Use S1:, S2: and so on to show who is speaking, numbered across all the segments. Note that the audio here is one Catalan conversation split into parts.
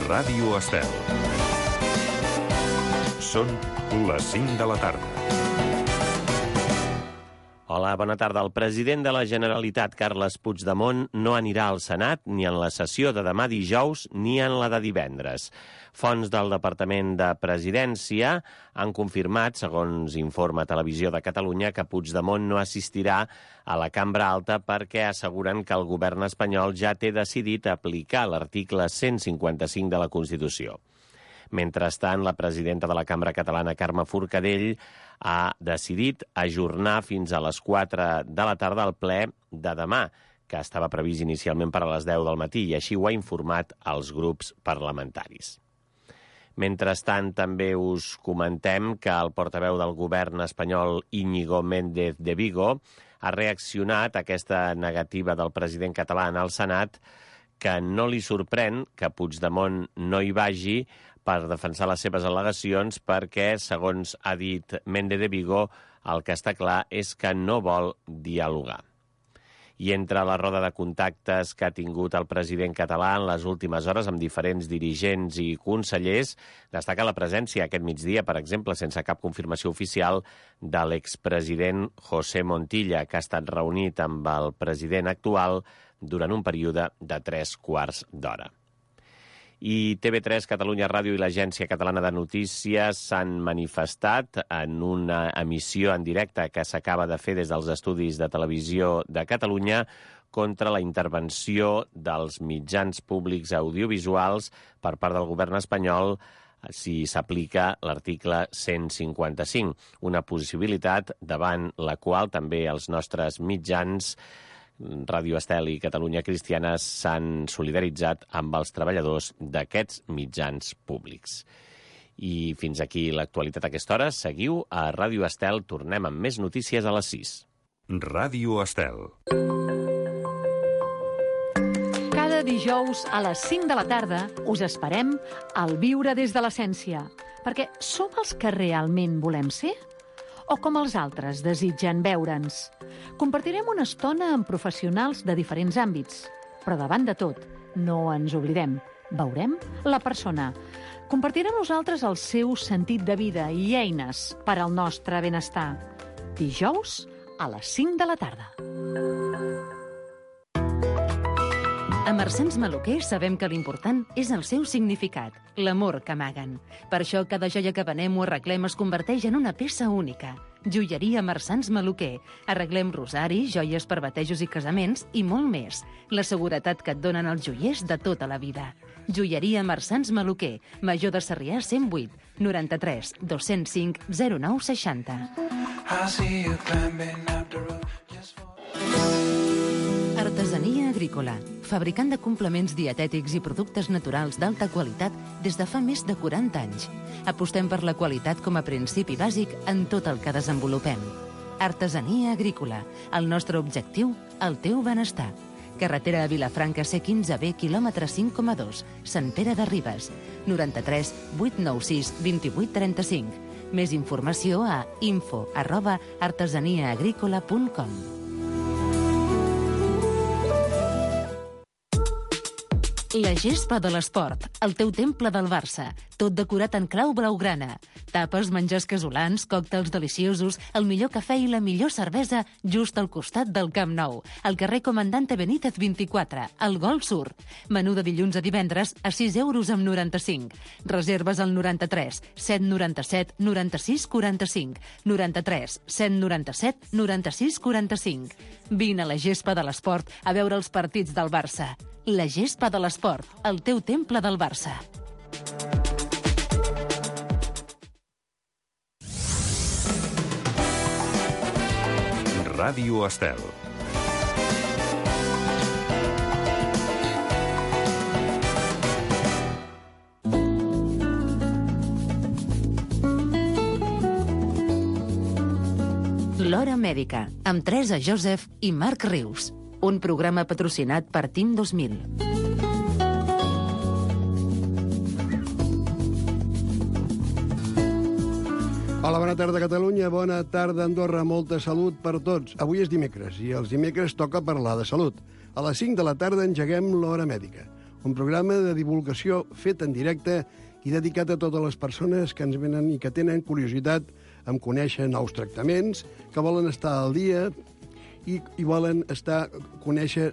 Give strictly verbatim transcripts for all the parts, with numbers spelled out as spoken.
S1: Ràdio Estel. Són les cinc de la tarda.
S2: Hola, bona tarda. El president de la Generalitat, Carles Puigdemont, no anirà al Senat ni en la sessió de demà dijous ni en la de divendres. Fonts del Departament de Presidència han confirmat, segons informa Televisió de Catalunya, que Puigdemont no assistirà a la Cambra Alta perquè asseguren que el govern espanyol ja té decidit aplicar l'article cent cinquanta-cinc de la Constitució. Mentrestant, la presidenta de la Cambra Catalana, Carme Forcadell, ha decidit ajornar fins a les quatre de la tarda el ple de demà, que estava previst inicialment per a les deu del matí, i així ho ha informat als grups parlamentaris. Mentrestant, també us comentem que el portaveu del govern espanyol, Íñigo Méndez de Vigo, ha reaccionat a aquesta negativa del president català al Senat, que no li sorprèn que Puigdemont no hi vagi per defensar les seves al·legacions perquè, segons ha dit Méndez de Vigo, el que està clar és que no vol dialogar. I entre la roda de contactes que ha tingut el president català en les últimes hores amb diferents dirigents i consellers, destaca la presència aquest migdia, per exemple, sense cap confirmació oficial, de l'expresident José Montilla, que ha estat reunit amb el president actual durant un període de tres quarts d'hora. I T V tres, Catalunya Ràdio i l'Agència Catalana de Notícies s'han manifestat en una emissió en directe que s'acaba de fer des dels estudis de Televisió de Catalunya contra la intervenció dels mitjans públics audiovisuals per part del govern espanyol si s'aplica l'article cent cinquanta-cinc, una possibilitat davant la qual també els nostres mitjans Ràdio Estel i Catalunya Cristiana s'han solidaritzat amb els treballadors d'aquests mitjans públics. I fins aquí l'actualitat a aquesta hora. Seguiu a Ràdio Estel. Tornem amb més notícies a les sis.
S1: Ràdio Estel.
S3: Cada dijous a les cinc de la tarda us esperem al Viure des de l'Essència, perquè som els que realment volem ser o com els altres desitgen veure'ns. Compartirem una estona amb professionals de diferents àmbits, però davant de tot, no ens oblidem, veurem la persona. Compartirem nosaltres el seu sentit de vida i eines per al nostre benestar. Dijous a les cinc de la tarda.
S4: A Marsans Maluquer sabem que l'important és el seu significat, l'amor que amaguen. Per això cada joia que venem o arreglem es converteix en una peça única. Joieria Marsans Maluquer. Arreglem rosaris, joies per batejos i casaments i molt més. La seguretat que et donen els joiers de tota la vida. Joieria Marsans Maluquer. Major de Sarrià cent vuit, noranta-tres, dos-cents cinc, zero nou seixanta. Artesania Agrícola, fabricant de complements dietètics i productes naturals d'alta qualitat des de fa més de quaranta anys. Apostem per la qualitat com a principi bàsic en tot el que desenvolupem. Artesania Agrícola, el nostre objectiu, el teu benestar. Carretera a Vilafranca C quinze B, quilòmetre cinc coma dos, Sant Pere de Ribes, noranta-tres, vuit nou sis, vint-i-vuit trenta-cinc. Més informació a info arroba artesaniaagrícola punt com. La gespa de l'esport, el teu temple del Barça, tot decorat en clau blaugrana. Tapes, menjars casolans, còctels deliciosos, el millor cafè i la millor cervesa just al costat del Camp Nou, al carrer Comandante Benítez vint-i-quatre, al Gol Sur. Menú de dilluns a divendres a sis euros amb noranta-cinc. Reserves al noranta-tres, set noranta-set, noranta-sis quaranta-cinc, noranta-tres, set noranta-set, noranta-sis quaranta-cinc. Vine a la gespa de l'esport a veure els partits del Barça. La gespa de l'esport, el teu temple del Barça.
S1: Ràdio Estel.
S4: L'Hora Mèdica, amb Teresa Joseph i Marc Rius. Un programa patrocinat per Team dos mil.
S5: Hola, bona tarda, Catalunya. Bona tarda, Andorra. Molta salut per tots. Avui és dimecres i els dimecres toca parlar de salut. A les cinc de la tarda engeguem l'Hora Mèdica, un programa de divulgació fet en directe i dedicat a totes les persones que ens venen i que tenen curiositat en conèixer nous tractaments, que volen estar al dia i, i volen estar conèixer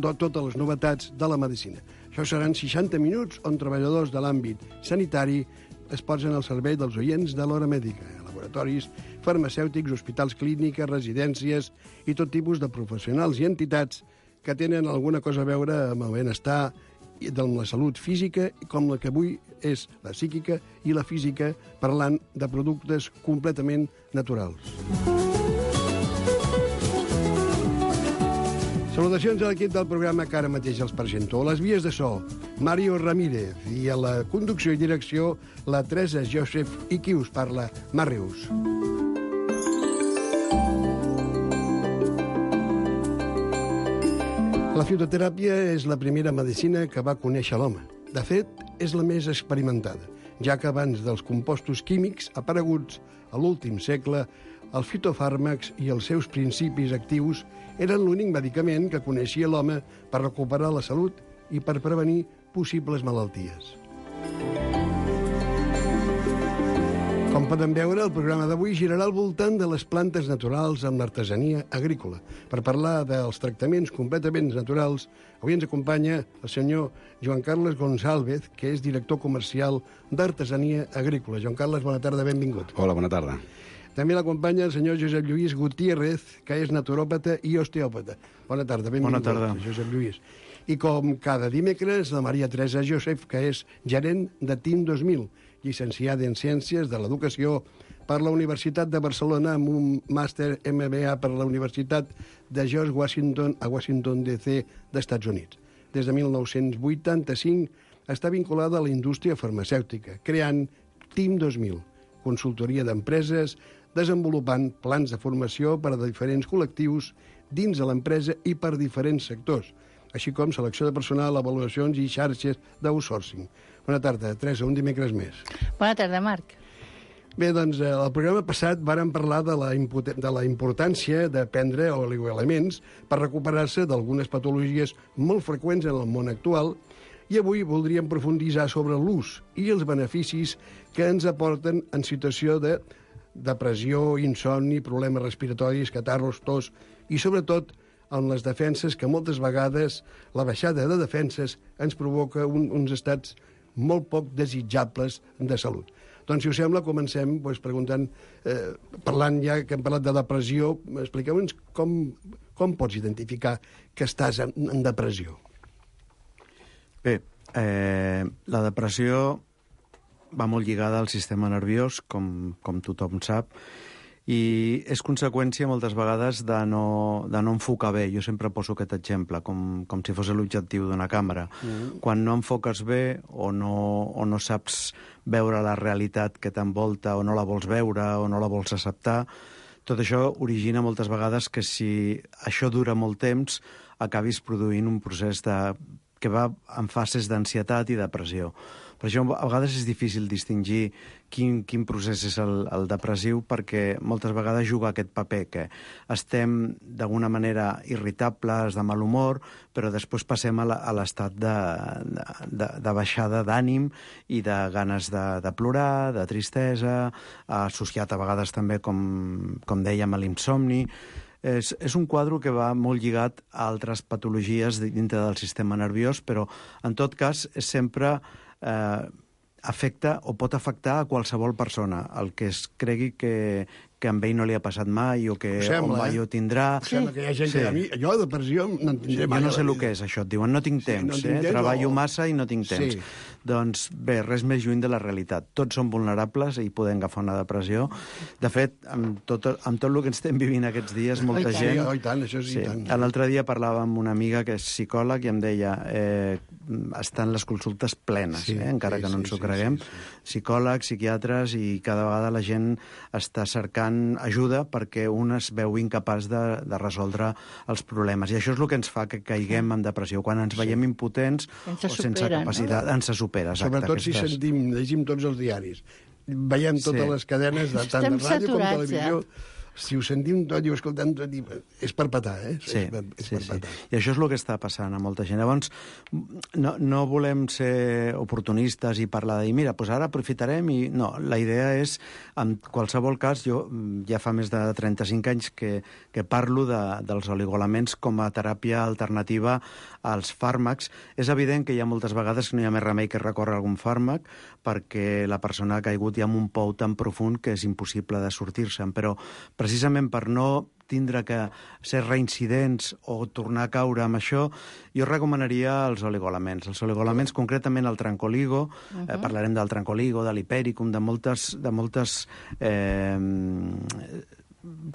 S5: totes les novetats de la medicina. Això seran seixanta minuts on treballadors de l'àmbit sanitari es posen al servei dels oients de l'hora mèdica, laboratoris, farmacèutics, hospitals clíniques, residències i tot tipus de professionals i entitats que tenen alguna cosa a veure amb el benestar i de la salut física, com la que avui és la psíquica i la física, parlant de productes completament naturals. Salutacions a l'equip del programa que ara mateix els presento. A les vies de so, Mario Ramírez, i a la conducció i direcció, la Teresa Joseph, i qui us parla, Màrius. La fitoteràpia és la primera medicina que va conèixer l'home. De fet, és la més experimentada, ja que abans dels compostos químics apareguts a l'últim segle, els fitofàrmacs i els seus principis actius eren l'únic medicament que coneixia l'home per recuperar la salut i per prevenir possibles malalties. Com podem veure, el programa d'avui girarà al voltant de les plantes naturals amb l'artesania agrícola. Per parlar dels tractaments completament naturals, avui ens acompanya el senyor Joan Carles González, que és director comercial d'Artesania Agrícola. Joan Carles, bona tarda, benvingut.
S6: Hola, bona tarda.
S5: També l'acompanya el senyor Josep Lluís Gutiérrez, que és naturòpata i osteòpata. Bona tarda, benvingut.
S7: Bona tarda.
S5: Josep Lluís. I com cada dimecres, la Maria Teresa Joseph, que és gerent de T I M dos mil, llicenciada en Ciències de l'Educació per la Universitat de Barcelona amb un màster M B A per la Universitat de George Washington a Washington, D C d'Estats Units. Des de mil nou-cents vuitanta-cinc està vinculada a la indústria farmacèutica, creant T I M dos mil, consultoria d'empreses, desenvolupant plans de formació per a diferents col·lectius dins de l'empresa i per diferents sectors, així com selecció de personal, avaluacions i xarxes d'outsourcing. Bona tarda, Teresa, un dimecres més.
S8: Bona tarda, Marc.
S5: Bé, doncs, el programa passat vàrem parlar de la, de la importància de prendre oligoelements per recuperar-se d'algunes patologies molt freqüents en el món actual i avui voldríem profunditzar sobre l'ús i els beneficis que ens aporten en situació de depressió, insomni, problemes respiratoris, catarros, tos i, sobretot, en les defenses, que moltes vegades la baixada de defenses ens provoca un, uns estats molt poc desitjables de salut. Doncs, si us sembla, comencem doncs, preguntant, eh, parlant ja que hem parlat de depressió, expliqueu-nos com, com pots identificar que estàs en, en depressió.
S7: Bé, eh, la depressió va molt lligada al sistema nerviós, com, com tothom sap, i és conseqüència moltes vegades de no, de no enfocar bé. Jo sempre poso aquest exemple, com, com si fos l'objectiu d'una càmera. Mm. Quan no enfoques bé o no, o no saps veure la realitat que t'envolta o no la vols veure o no la vols acceptar, tot això origina moltes vegades que si això dura molt temps acabis produint un procés de, que va en fases d'ansietat i depressió. Per això a vegades és difícil distingir quin, quin procés és el, el depressiu, perquè moltes vegades juga aquest paper, que estem d'alguna manera irritables, de mal humor, però després passem a l'estat de, de, de baixada d'ànim i de ganes de, de plorar, de tristesa, associat a vegades també, com, com dèiem, a l'insomni. És, és un quadre que va molt lligat a altres patologies dintre del sistema nerviós, però en tot cas és sempre eh, afecta o pot afectar a qualsevol persona. El que es cregui que, que amb ell no li ha passat mai o que
S5: sembla,
S7: o mai
S5: eh?
S7: ho tindrà.
S5: Sí. Sembla que hi ha gent
S7: sí.
S5: que a mi, jo de depressió no en tindré mai.
S7: Jo no sé el que és això, et diuen no tinc temps, sí, no tinc eh? temps treballo o... massa i no tinc temps. Sí. Doncs bé, res més lluny de la realitat. Tots som vulnerables i podem agafar una depressió. De fet, amb tot, amb tot el que estem vivint aquests dies, molta
S5: Ai,
S7: gent...
S5: Sí, oh, i tant, això sí,
S7: sí.
S5: i tant.
S7: L'altre dia parlava amb una amiga que és psicòleg i em deia eh, estan les consultes plenes, sí, eh? encara sí, que no ens sí, ho creguem. Sí, sí. Psicòlegs, psiquiatres, i cada vegada la gent està cercant ajuda perquè un es veu incapaç de, de resoldre els problemes. I això és el que ens fa que caiguem en depressió. Quan ens veiem sí. impotents
S8: ens
S7: o sense
S8: supera,
S7: capacitat, no? ens se supera. Exacte,
S5: sobretot aquestes... si sentim, llegim tots els diaris. Veiem totes sí. les cadenes, de, tant de ràdio com de televisió. Ja. si ho sentim tot i ho escoltem tot, és per petar, eh?
S7: Sí,
S5: és per, és
S7: sí,
S5: per
S7: sí.
S5: petar.
S7: I això és el que està passant a molta gent. Llavors, no, no volem ser oportunistes i parlar de dir, mira, doncs ara aprofitarem i... No, la idea és, en qualsevol cas, jo ja fa més de trenta-cinc anys que, que parlo de, dels oligoelements com a teràpia alternativa als fàrmacs. És evident que hi ha moltes vegades que no hi ha més remei que recórrer a algun fàrmac perquè la persona ha caigut ja en un pou tan profund que és impossible de sortir-se'n, però precisament per no tindre que ser reincidents o tornar a caure amb això, jo recomanaria els oligoelements. Els oligoelements, concretament el trancoligo, uh-huh. eh, parlarem del trancoligo, de l'hipericum, de moltes, de moltes eh,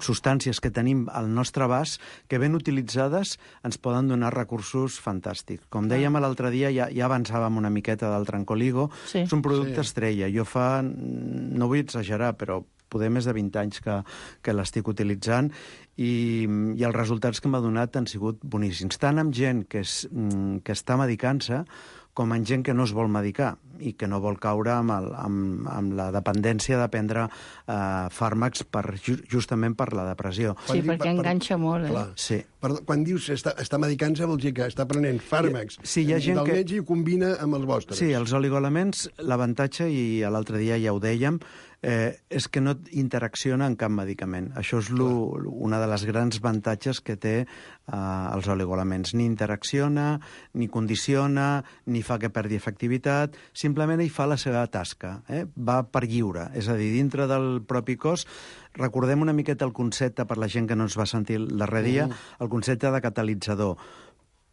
S7: substàncies que tenim al nostre abast que ben utilitzades ens poden donar recursos fantàstics. Com dèiem l'altre dia, ja, ja avançàvem una miqueta del trancoligo,
S3: sí.
S7: és un producte
S5: Sí.
S7: estrella. Jo fa, no vull exagerar, però poder més de vint anys que, que l'estic utilitzant i, i els resultats que m'ha donat han sigut boníssims. Tant amb gent que, és, que està medicant-se com amb gent que no es vol medicar i que no vol caure amb, el, amb, amb la dependència de prendre eh, fàrmacs per, justament per la depressió.
S6: Sí,
S5: Quan
S6: perquè
S5: dic-
S6: enganxa molt, eh?
S5: Clar.
S7: Sí.
S5: Perdó, quan dius està, està medicant-se vol dir que està prenent fàrmacs
S7: Sí, hi ha gent
S5: del
S7: que-
S5: metge i ho combina amb els vostres.
S7: Sí, els oligoelements, l'avantatge, i l'altre dia ja ho dèiem, eh, és que no interacciona en cap medicament. Això és lo, una de les grans avantatges que té eh, els oligoelements. Ni interacciona, ni condiciona, ni fa que perdi efectivitat, simplement hi fa la seva tasca. Eh? Va per lliure, és a dir, dintre del propi cos. Recordem una miqueta el concepte, per la gent que no ens va sentir el darrer dia, uh. el concepte de catalitzador.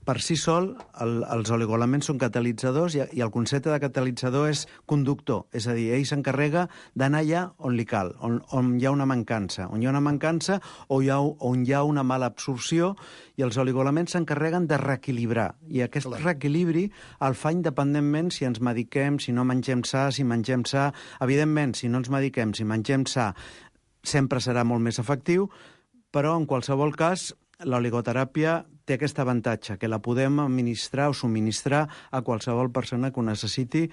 S7: Per si sol, el, els oligoelements són catalitzadors i, i el concepte de catalitzador és conductor, és a dir, ell s'encarrega d'anar allà on li cal, on, on hi ha una mancança, on hi ha una mancança o hi ha, on hi ha una mala absorció, i els oligoelements s'encarreguen de reequilibrar. I aquest Clar. reequilibri el fa independentment si ens mediquem, si no mengem sa, si mengem sa. Evidentment, si no ens mediquem, si mengem sa, sempre serà molt més efectiu, però en qualsevol cas l'oligoteràpia té aquest avantatge, que la podem administrar o subministrar a qualsevol persona que ho necessiti,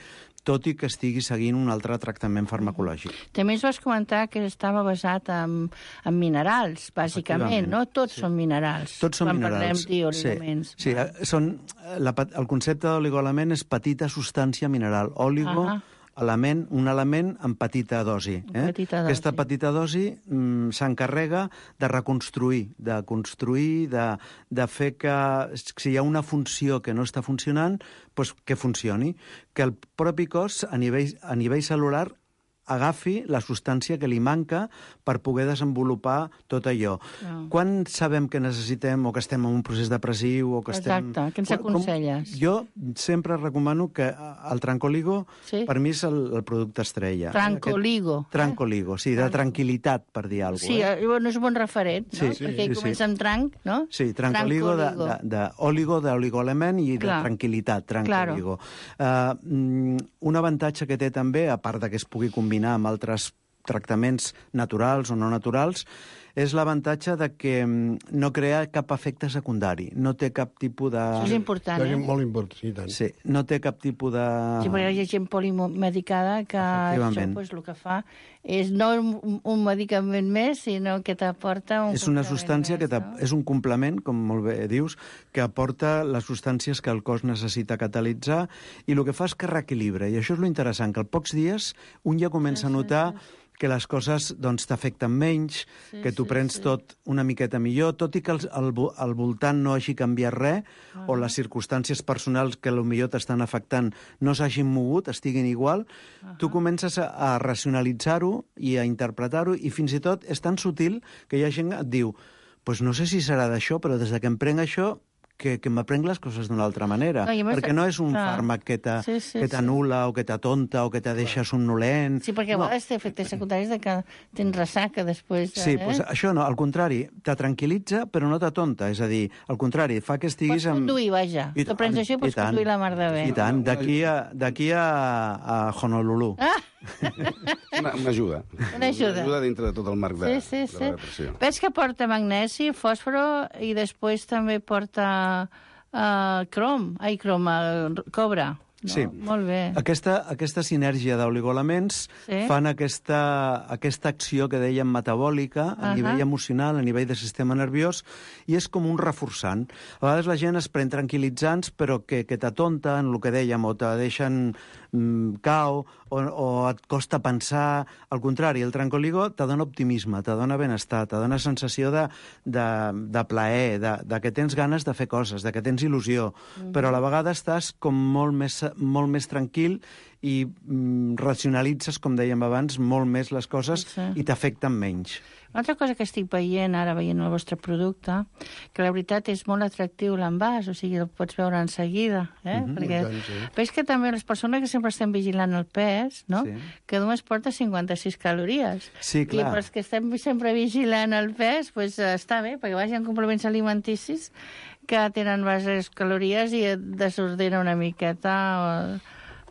S7: tot i que estigui seguint un altre tractament farmacològic.
S6: També ens vas comentar que estava basat en, en minerals, bàsicament, no? Tots sí. són minerals.
S7: Tots són
S6: quan
S7: minerals.
S6: Quan parlem d'oligoelements.
S7: Sí, sí. Són, la, el concepte d'oligoelement és petita substància mineral. Oligo... Uh -huh. Element, un element en petita dosi. Eh?
S6: Petita dosi.
S7: Aquesta petita dosi mm, s'encarrega de reconstruir, de construir, de, de fer que si hi ha una funció que no està funcionant, doncs que funcioni. Que el propi cos, a nivell, a nivell cel·lular, agafi la substància que li manca per poder desenvolupar tot allò.
S6: No.
S7: Quan sabem que necessitem o que estem en un procés depressiu o que estem...
S6: Exacte, què ens aconselles?
S7: Com, jo sempre recomano que el Trancoligo,
S6: sí?
S7: per mi és el, el producte estrella.
S6: Trancoligo.
S7: Aquest, Trancoligo, sí, de tranquil·litat, per dir alguna cosa.
S6: Sí,
S7: eh?
S6: bueno, és un bon referent, no?
S7: Sí,
S6: Perquè
S7: sí,
S6: comença
S7: sí.
S6: amb tranc, no?
S7: Sí, Trancoligo, de, de, de oligo, d'oligoelement i
S6: Clar.
S7: de tranquil·litat, Trancoligo.
S6: Claro.
S7: Uh, un avantatge que té també, a part de que es pugui combinar amb altres tractaments naturals o no naturals, és l'avantatge de que no crea cap efecte secundari, no té cap tipus de...
S6: Això és important,
S5: és
S6: eh?
S5: molt important, sí, tant.
S7: Sí, no té cap tipus de...
S6: Sí, perquè hi ha gent polimedicada que això pues, el que fa és no un, un medicament més, sinó que t'aporta un...
S7: És una substància
S6: més,
S7: que
S6: no?
S7: és un complement, com molt bé dius, que aporta les substàncies que el cos necessita catalitzar i el que fa és que reequilibra. I això és lo interessant, que als pocs dies un ja comença a notar que les coses doncs, t'afecten menys,
S6: sí,
S7: que tu
S6: sí,
S7: prens
S6: sí.
S7: tot una miqueta millor, tot i que el, el, el voltant no hagi canviat res, uh -huh. o les circumstàncies personals que potser t'estan afectant no s'hagin mogut, estiguin igual, uh -huh. tu comences a, a racionalitzar-ho i a interpretar-ho, i fins i tot és tan sutil que hi ha gent que et diu pues no sé si serà d'això, però des de que em prenc això que, que m'aprenc les coses d'una altra manera.
S6: No, més,
S7: perquè no és un
S6: clar.
S7: fàrmac que
S6: sí, sí,
S7: t'anul·la sí. o que t'atonta o que te deixa somnolent.
S6: Sí, perquè a
S7: no.
S6: vegades té efectes secundaris de que tens ressaca després.
S7: Sí,
S6: eh?
S7: pues això no, al contrari, te tranquil·litza però no t'atonta, és a dir, al contrari, fa que estiguis...
S6: Pots conduir, amb... vaja.
S7: I
S6: Tu prens això i pots
S7: i tant,
S6: conduir la mar de bé.
S7: I tant, d'aquí a, d'aquí a, a Honolulu.
S6: Ah!
S8: Una, una ajuda.
S6: Una ajuda.
S8: Una ajuda dintre de tot el marc de,
S6: sí, sí,
S8: de
S6: sí.
S8: la depressió.
S6: Veig que porta magnesi, fòsforo i després també porta uh, crom, ai, crom, uh, cobre. No?
S7: Sí.
S6: Molt bé.
S7: Aquesta, aquesta sinergia d'oligoelements
S6: sí.
S7: fan aquesta, aquesta acció que dèiem metabòlica a uh-huh. nivell emocional, a nivell de sistema nerviós, i és com un reforçant. A vegades la gent es pren tranquil·litzants, però que, que t'atonten, el que dèiem, o te deixen mm, cau, o, o et costa pensar. Al contrari, el Tranquiligo te dona optimisme, te dona benestar, te dona sensació de, de, de plaer, de, de que tens ganes de fer coses, de que tens il·lusió, uh-huh. però a la vegada estàs com molt més, molt més tranquil i mm, racionalitzes, com dèiem abans, molt més les coses sí. i t'afecten menys.
S6: Una altra cosa que estic veient, ara veient el vostre producte, que la veritat és molt atractiu l'envàs, o sigui, el pots veure en seguida, eh? Uh-huh, perquè tant, sí. veig que també les persones que sempre estem vigilant el pes, no? Sí. Que només porta cinquanta-sis calories.
S7: Sí, clar.
S6: I per als que estem sempre vigilant el pes, pues, està bé, perquè vagin complements alimenticis que tenen baixes calories i et desordena una miqueta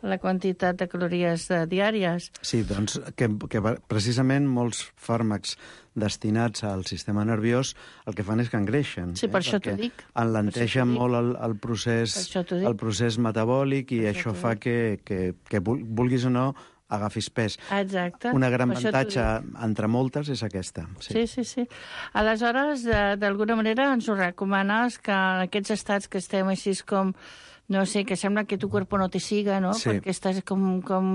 S6: la quantitat de calories diàries.
S7: Sí, doncs que, que precisament molts fàrmacs destinats al sistema nerviós el que fan és que engreixen.
S6: Sí, per eh? això t'ho dic.
S7: Enlenteixen molt el, el, procés, el procés metabòlic i per això, això fa que, que, que vulguis o no agafis pes.
S6: Exacte.
S7: Una gran avantatge entre moltes és aquesta.
S6: Sí, sí, sí. sí. Aleshores, d'alguna manera ens ho recomanes que en aquests estats que estem així com no sé, que sembla que tu cuerpo no te siga, no? Sí. Perquè estàs com, com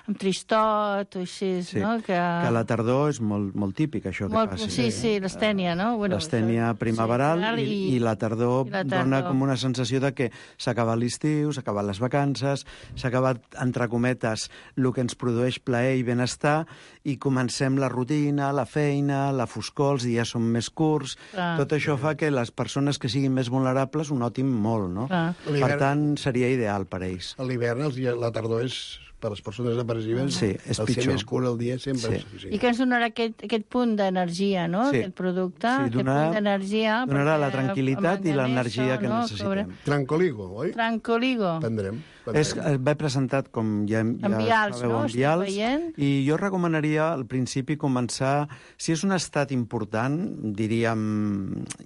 S6: amb tristot o així,
S7: sí.
S6: no?
S7: Que... que a la tardor és molt, molt típic, això
S6: molt,
S7: que passi.
S6: Sí, sí, l'estènia, no? Bueno,
S7: l'estènia primaveral sí, i, i, la tardor, i la tardor dona com una sensació de que s'ha acabat l'estiu, s'ha acabat les vacances, s'ha acabat, entre cometes, el que ens produeix plaer i benestar, i comencem la rutina, la feina, la foscor, els dies són més curts. Ah. Tot això fa que les persones que siguin més vulnerables ho notin molt, no? Ah. Per tant, seria ideal per a ells.
S5: A l'hivern, la tardor és, per les persones depressives,
S7: sí, és
S5: el
S7: pitjor.
S5: ser més curt el dia sempre...
S7: Sí.
S5: Sí.
S6: I que ens donarà aquest, aquest punt d'energia, no?, sí. aquest producte, sí,
S7: donarà,
S6: aquest punt d'energia...
S7: Donarà la tranquil·litat i l'energia que no, necessitem.
S5: Trancoligo, oi?
S6: Trancoligo.
S5: Prendrem.
S7: És, va presentat, com ja, ja
S6: vials,
S7: sabeu,
S6: no?
S7: en vials, i jo recomanaria al principi començar, si és un estat important, diríem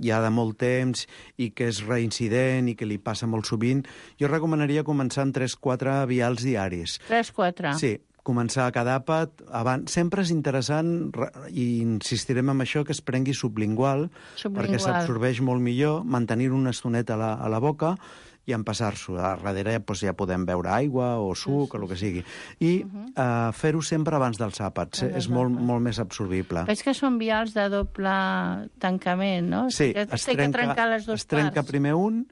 S7: ja de molt temps, i que és reincident i que li passa molt sovint, jo recomanaria començar amb tres quatre vials diaris.
S6: tres quatre?
S7: Sí, començar cada àpat. Abans. Sempre és interessant, i insistirem en això, que es prengui sublingual, sublingual. perquè s'absorbeix molt millor, mantenir-ho una estoneta a la, a la boca, i empassar-s'ho. A darrere doncs, ja podem beure aigua o suc, sí, sí. o el que sigui. I uh-huh. uh, fer-ho sempre abans dels àpats. És molt, molt més absorbible.
S6: Veig que són vials de doble tancament, no?
S7: Sí,
S6: es, es trenca, que trencar les dues
S7: es trenca
S6: parts.
S7: primer un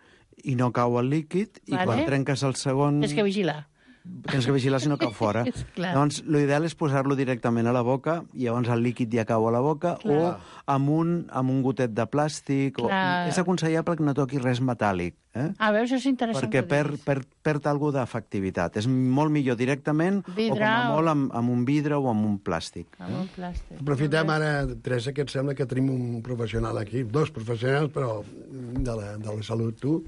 S7: i no cau el líquid, vale. I quan trenques el segon...
S6: Tens que vigilar.
S7: Tens que vigilar si no cau fora. Llavors, l'ideal és posar-lo directament a la boca, i llavors el líquid ja cau a la boca, clar. O amb un, amb un gotet de plàstic. O... És aconsellable que no toqui res metàl·lic. Eh?
S6: Ah, veus, és interessant.
S7: Perquè perd, perd, perd alguna d'efectivitat. És molt millor directament vidre, o com a molt amb, amb un vidre o amb un plàstic.
S6: Amb un plàstic.
S5: Aprofitem ara, Teresa, que et sembla que tenim un professional aquí, dos professionals, però de la, de la salut, tu.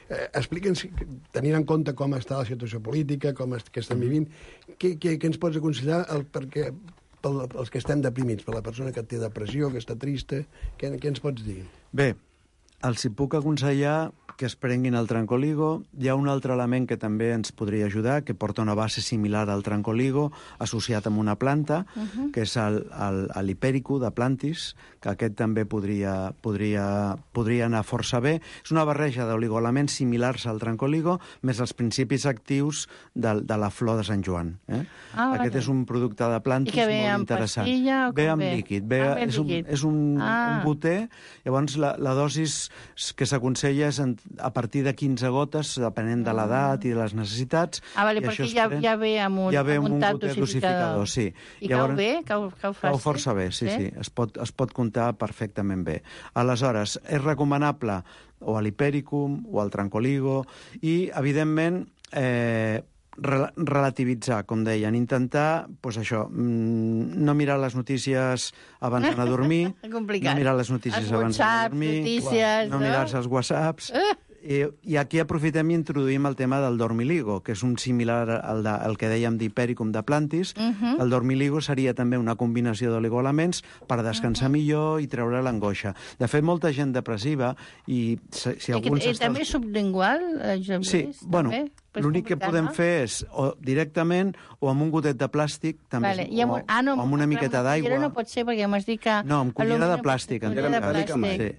S5: Eh, Explica'ns, tenint en compte com està la situació política, com est, que estem vivint, què, què, què ens pots aconsellar el, perquè, pel, els que estem deprimits, per la persona que té depressió, que està trista, què, què ens pots dir?
S7: Bé, els hi puc aconsellar que es prenguin el Trancoligo. Hi ha un altre element que també ens podria ajudar, que porta una base similar al Trancoligo, associat amb una planta, uh-huh. que és l'Hipèrico de Plantis, que aquest també podria, podria, podria anar força bé. És una barreja d'oligoelements similars al Trancoligo, més els principis actius de, de la flor de Sant Joan. Eh? Ah, aquest vale. És un producte de Plantis molt interessant.
S6: I que ve amb pastilla o com
S7: ve? Amb ve? líquid. Ve, ah, és un, és un, ah. un goter, llavors la, la dosis que s'aconsella és en, a partir de quinze gotes, depenent de l'edat i de les necessitats.
S6: Ah, vale, perquè ja, pren... ja ve amb un,
S7: ja ve amb un,
S6: un
S7: goter dosificador. Sí.
S6: I llavors, cau bé? Cau, cau fàcil?
S7: Cau força bé, sí, sí. sí. Es, pot, es pot comptar perfectament bé. Aleshores, és recomanable o a l'Hipericum o al Trancoligo i, evidentment, eh, relativitzar, com deien, intentar, doncs això, no mirar les notícies abans d'anar a dormir, no mirar les notícies abans d'anar a dormir,
S6: notícies,
S7: no, no mirar-se els whatsapps, I, I aquí aprofitem i introduïm el tema del dormiligo, que és un similar al, de, al que dèiem d'Hipericum de Plantis. Uh -huh. El dormiligo seria també una combinació d'oligoelements per descansar uh -huh. millor i treure l'angoixa. De fet, molta gent depressiva i si, si
S6: I,
S7: alguns...
S6: I
S7: està...
S6: també sublingual, eh, Joan
S7: Sí,
S6: Lluís,
S7: bueno,
S6: també?
S7: l'únic que podem
S6: no?
S7: fer és o directament o amb un gotet de plàstic, també,
S6: Vale.
S7: és,
S6: I amb,
S7: o,
S6: ah, no,
S7: o amb una miqueta d'aigua.
S6: no pot ser, perquè m'has dit que...
S7: No, amb cullera de plàstic. En
S6: Cullera de
S7: tot cas.
S6: plàstic.
S7: Sí.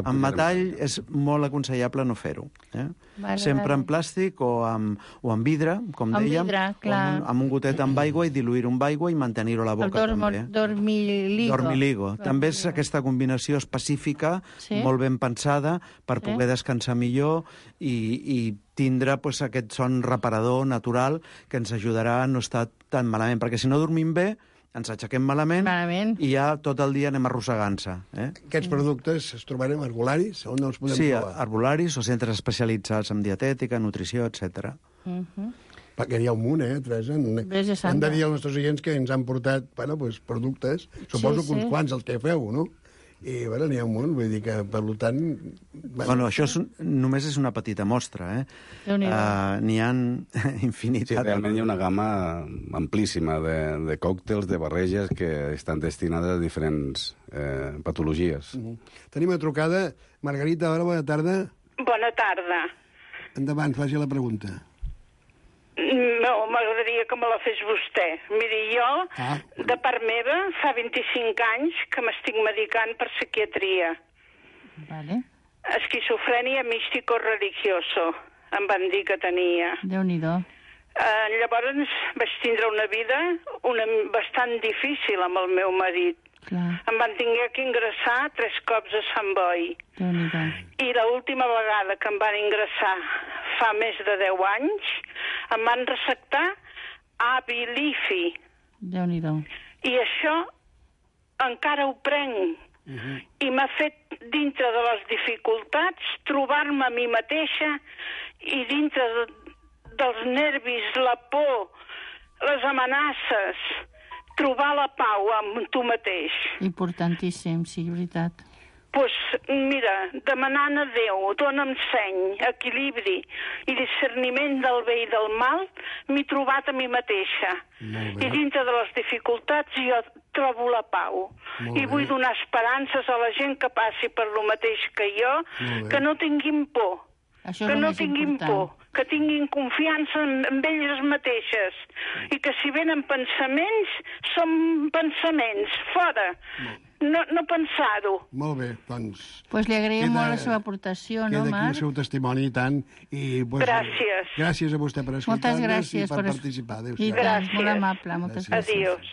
S7: Amb metall és molt aconsellable no fer-ho. Eh?
S6: Vale,
S7: Sempre
S6: vale.
S7: en plàstic o amb, o amb vidre, com
S6: Amb
S7: dèiem,
S6: vidre,
S7: o amb,
S6: clar.
S7: un, amb un gotet amb aigua i diluir-ho amb aigua i mantenir-ho a la boca,
S6: El dormo,
S7: també.
S6: dormiligo.
S7: Dormiligo. També és aquesta combinació específica,
S6: Sí?
S7: molt ben pensada, per
S6: Sí?
S7: poder descansar millor i, i tindre pues, aquest son reparador natural que ens ajudarà a no estar tan malament, perquè si no dormim bé, ens aixequem malament,
S6: Malament.
S7: i ja tot el dia anem arrossegant-se. Eh?
S5: Aquests productes es trobarem arbolaris? On els podem
S7: Sí,
S5: trobar?
S7: arbolaris o centres especialitzats en dietètica, nutrició, etcètera.
S6: Uh -huh.
S5: Perquè hi ha un munt, eh, Teresa?
S6: Teresa
S5: Hem
S6: Santa.
S5: de dir als nostres oients que ens han portat bueno, pues, productes, suposo
S6: Sí,
S5: que uns
S6: sí.
S5: quants els que feu, no? I, bueno, n'hi ha un munt, vull dir que, per tant...
S7: Bueno, això és, un- només és una petita mostra, eh?
S6: Déu-n'hi-do.
S7: Uh, N'hi ha
S8: Sí,
S7: infinitat.
S8: realment hi ha una gamma amplíssima de, de còctels, de barreges que estan destinades a diferents eh, patologies.
S5: Uh -huh. Tenim una trucada. Margarita, hola, bona tarda.
S9: Bona tarda.
S5: Endavant, faci la pregunta.
S9: No, m'agradaria que me la fes vostè. Miri, jo,
S5: Ah.
S9: de part meva, fa vint-i-cinc anys que m'estic medicant per psiquiatria.
S6: Vale.
S9: Esquizofrènia místico-religioso, em van dir que tenia.
S6: Déu-n'hi-do.
S9: Eh, llavors vaig tindre una vida una, bastant difícil amb el meu marit.
S6: Clar,
S9: Em van tinguer que ingressar tres cops a Sant Boi.
S6: Déu-n'hi-do.
S9: I l'última vegada que em van ingressar, fa més de deu anys, em van receptar Abilifi.
S6: Déu-n'hi-do.
S9: I això encara ho prenc.
S5: Uh -huh.
S9: I m'ha fet, dintre de les dificultats, trobar-me a mi mateixa i dintre de, dels nervis, la por, les amenaces, trobar la pau amb tu mateix.
S6: Importantíssim, sí, veritat.
S9: Pues, mira, demanant a Déu, dona'm seny, equilibri i discerniment del bé i del mal, m'he trobat a mi mateixa. I dintre de les dificultats jo trobo la pau.
S5: Molt
S9: I
S5: bé.
S9: vull donar esperances a la gent que passi per lo mateix que jo,
S5: Molt bé.
S9: que no tinguin por.
S6: Això és
S9: Que
S6: el
S9: no
S6: més
S9: tinguin
S6: important.
S9: por, que tinguin confiança en, en elles mateixes. I que si venen pensaments, són pensaments, fora. No, no pensar-ho.
S5: Molt bé, doncs...
S6: Pues li agraïm
S5: Queda-
S6: molt la seva aportació, no,
S5: Queda aquí
S6: Marc?
S5: el seu testimoni, i tant. I, pues,
S9: Gràcies.
S5: Gràcies a vostè per escoltar-nos
S6: Moltes gràcies
S5: i per
S6: per es-
S5: participar.
S6: I
S5: Adéu-siau.
S6: tant,
S9: Gràcies.
S6: molt amable, moltes gràcies.
S9: Adiós.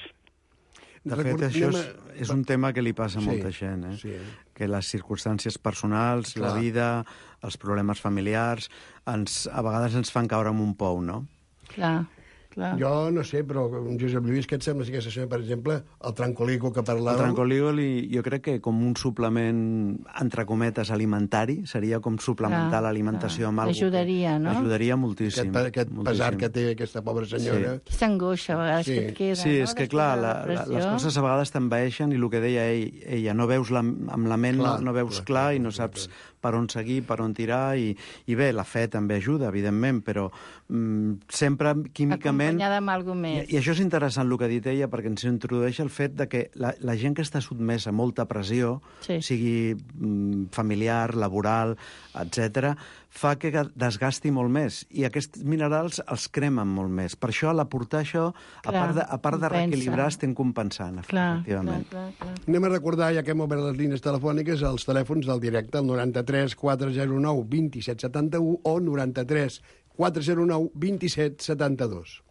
S7: De fet,
S5: Record-
S7: això és,
S5: anem a-
S7: és un tema que li passa a
S5: Sí,
S7: molta gent, eh?
S5: sí.
S7: Que les circumstàncies personals,
S5: Clar.
S7: la vida, els problemes familiars, ens, a vegades ens fan caure en un pou, no?
S6: Clar, clar.
S5: Jo no sé, però Josep Lluís, què et sembla si aquesta setmana, per exemple, el trancolico que
S7: El
S5: parlàvem...
S7: trancoligoli jo crec que com un suplement, entre cometes, alimentari, seria com suplementar
S6: Clar,
S7: l'alimentació
S6: clar.
S7: amb alguna cosa.
S6: Ajudaria, no?
S7: Ajudaria moltíssim.
S5: Aquest, aquest
S7: moltíssim.
S5: pesar que té aquesta pobra senyora...
S7: Sí.
S6: Aquesta angoixa, a vegades,
S5: Sí.
S6: que et queda,
S7: Sí,
S6: no?
S7: és que,
S6: Després
S7: clar,
S6: de
S7: la, la,
S6: depressió.
S7: les coses a vegades t'envaeixen i el que deia ell, ella, no veus la, amb la ment,
S5: Clar,
S7: no, no veus
S5: clar,
S7: clar,
S5: clar,
S7: i no
S5: clar,
S7: saps
S5: clar.
S7: per on seguir, per on tirar, i, i bé, la fe també ajuda, evidentment, però mm, sempre químicament...
S6: Acompanyada amb alguna
S7: I,
S6: més.
S7: I això és interessant el que ha dit ella, perquè ens introdueix el fet de que la, la gent que està sotmesa a molta pressió,
S6: Sí.
S7: sigui mm, familiar, laboral, etcètera, fa que desgasti molt més. I aquests minerals els cremen molt més. Per això, a l'aportar això, a
S6: Clar,
S7: part de, a part de
S6: compensa.
S7: reequilibrar, estem compensant,
S6: Clar, clar,
S7: efectivament.
S6: clar, clar.
S5: Anem a recordar, ja que hem obert les línies telefòniques, els telèfons del directe, el noranta-tres quatre zero nou dos set setanta u o noranta-tres quatre zero nou dos set setanta dos.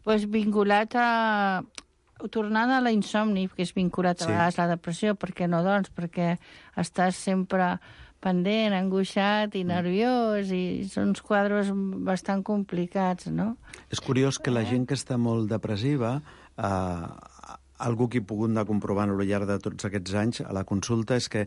S6: Pues vinculat a... Tornant a la insomni, que és vinculat a
S7: Sí.
S6: vegades a la depressió, per què no, doncs? Perquè estàs sempre pendent, angoixat i nerviós, i són uns quadres bastant complicats, no?
S7: És curiós que la gent que està molt depressiva, eh, algú que he pogut anar comprovant al llarg de tots aquests anys a la consulta, és que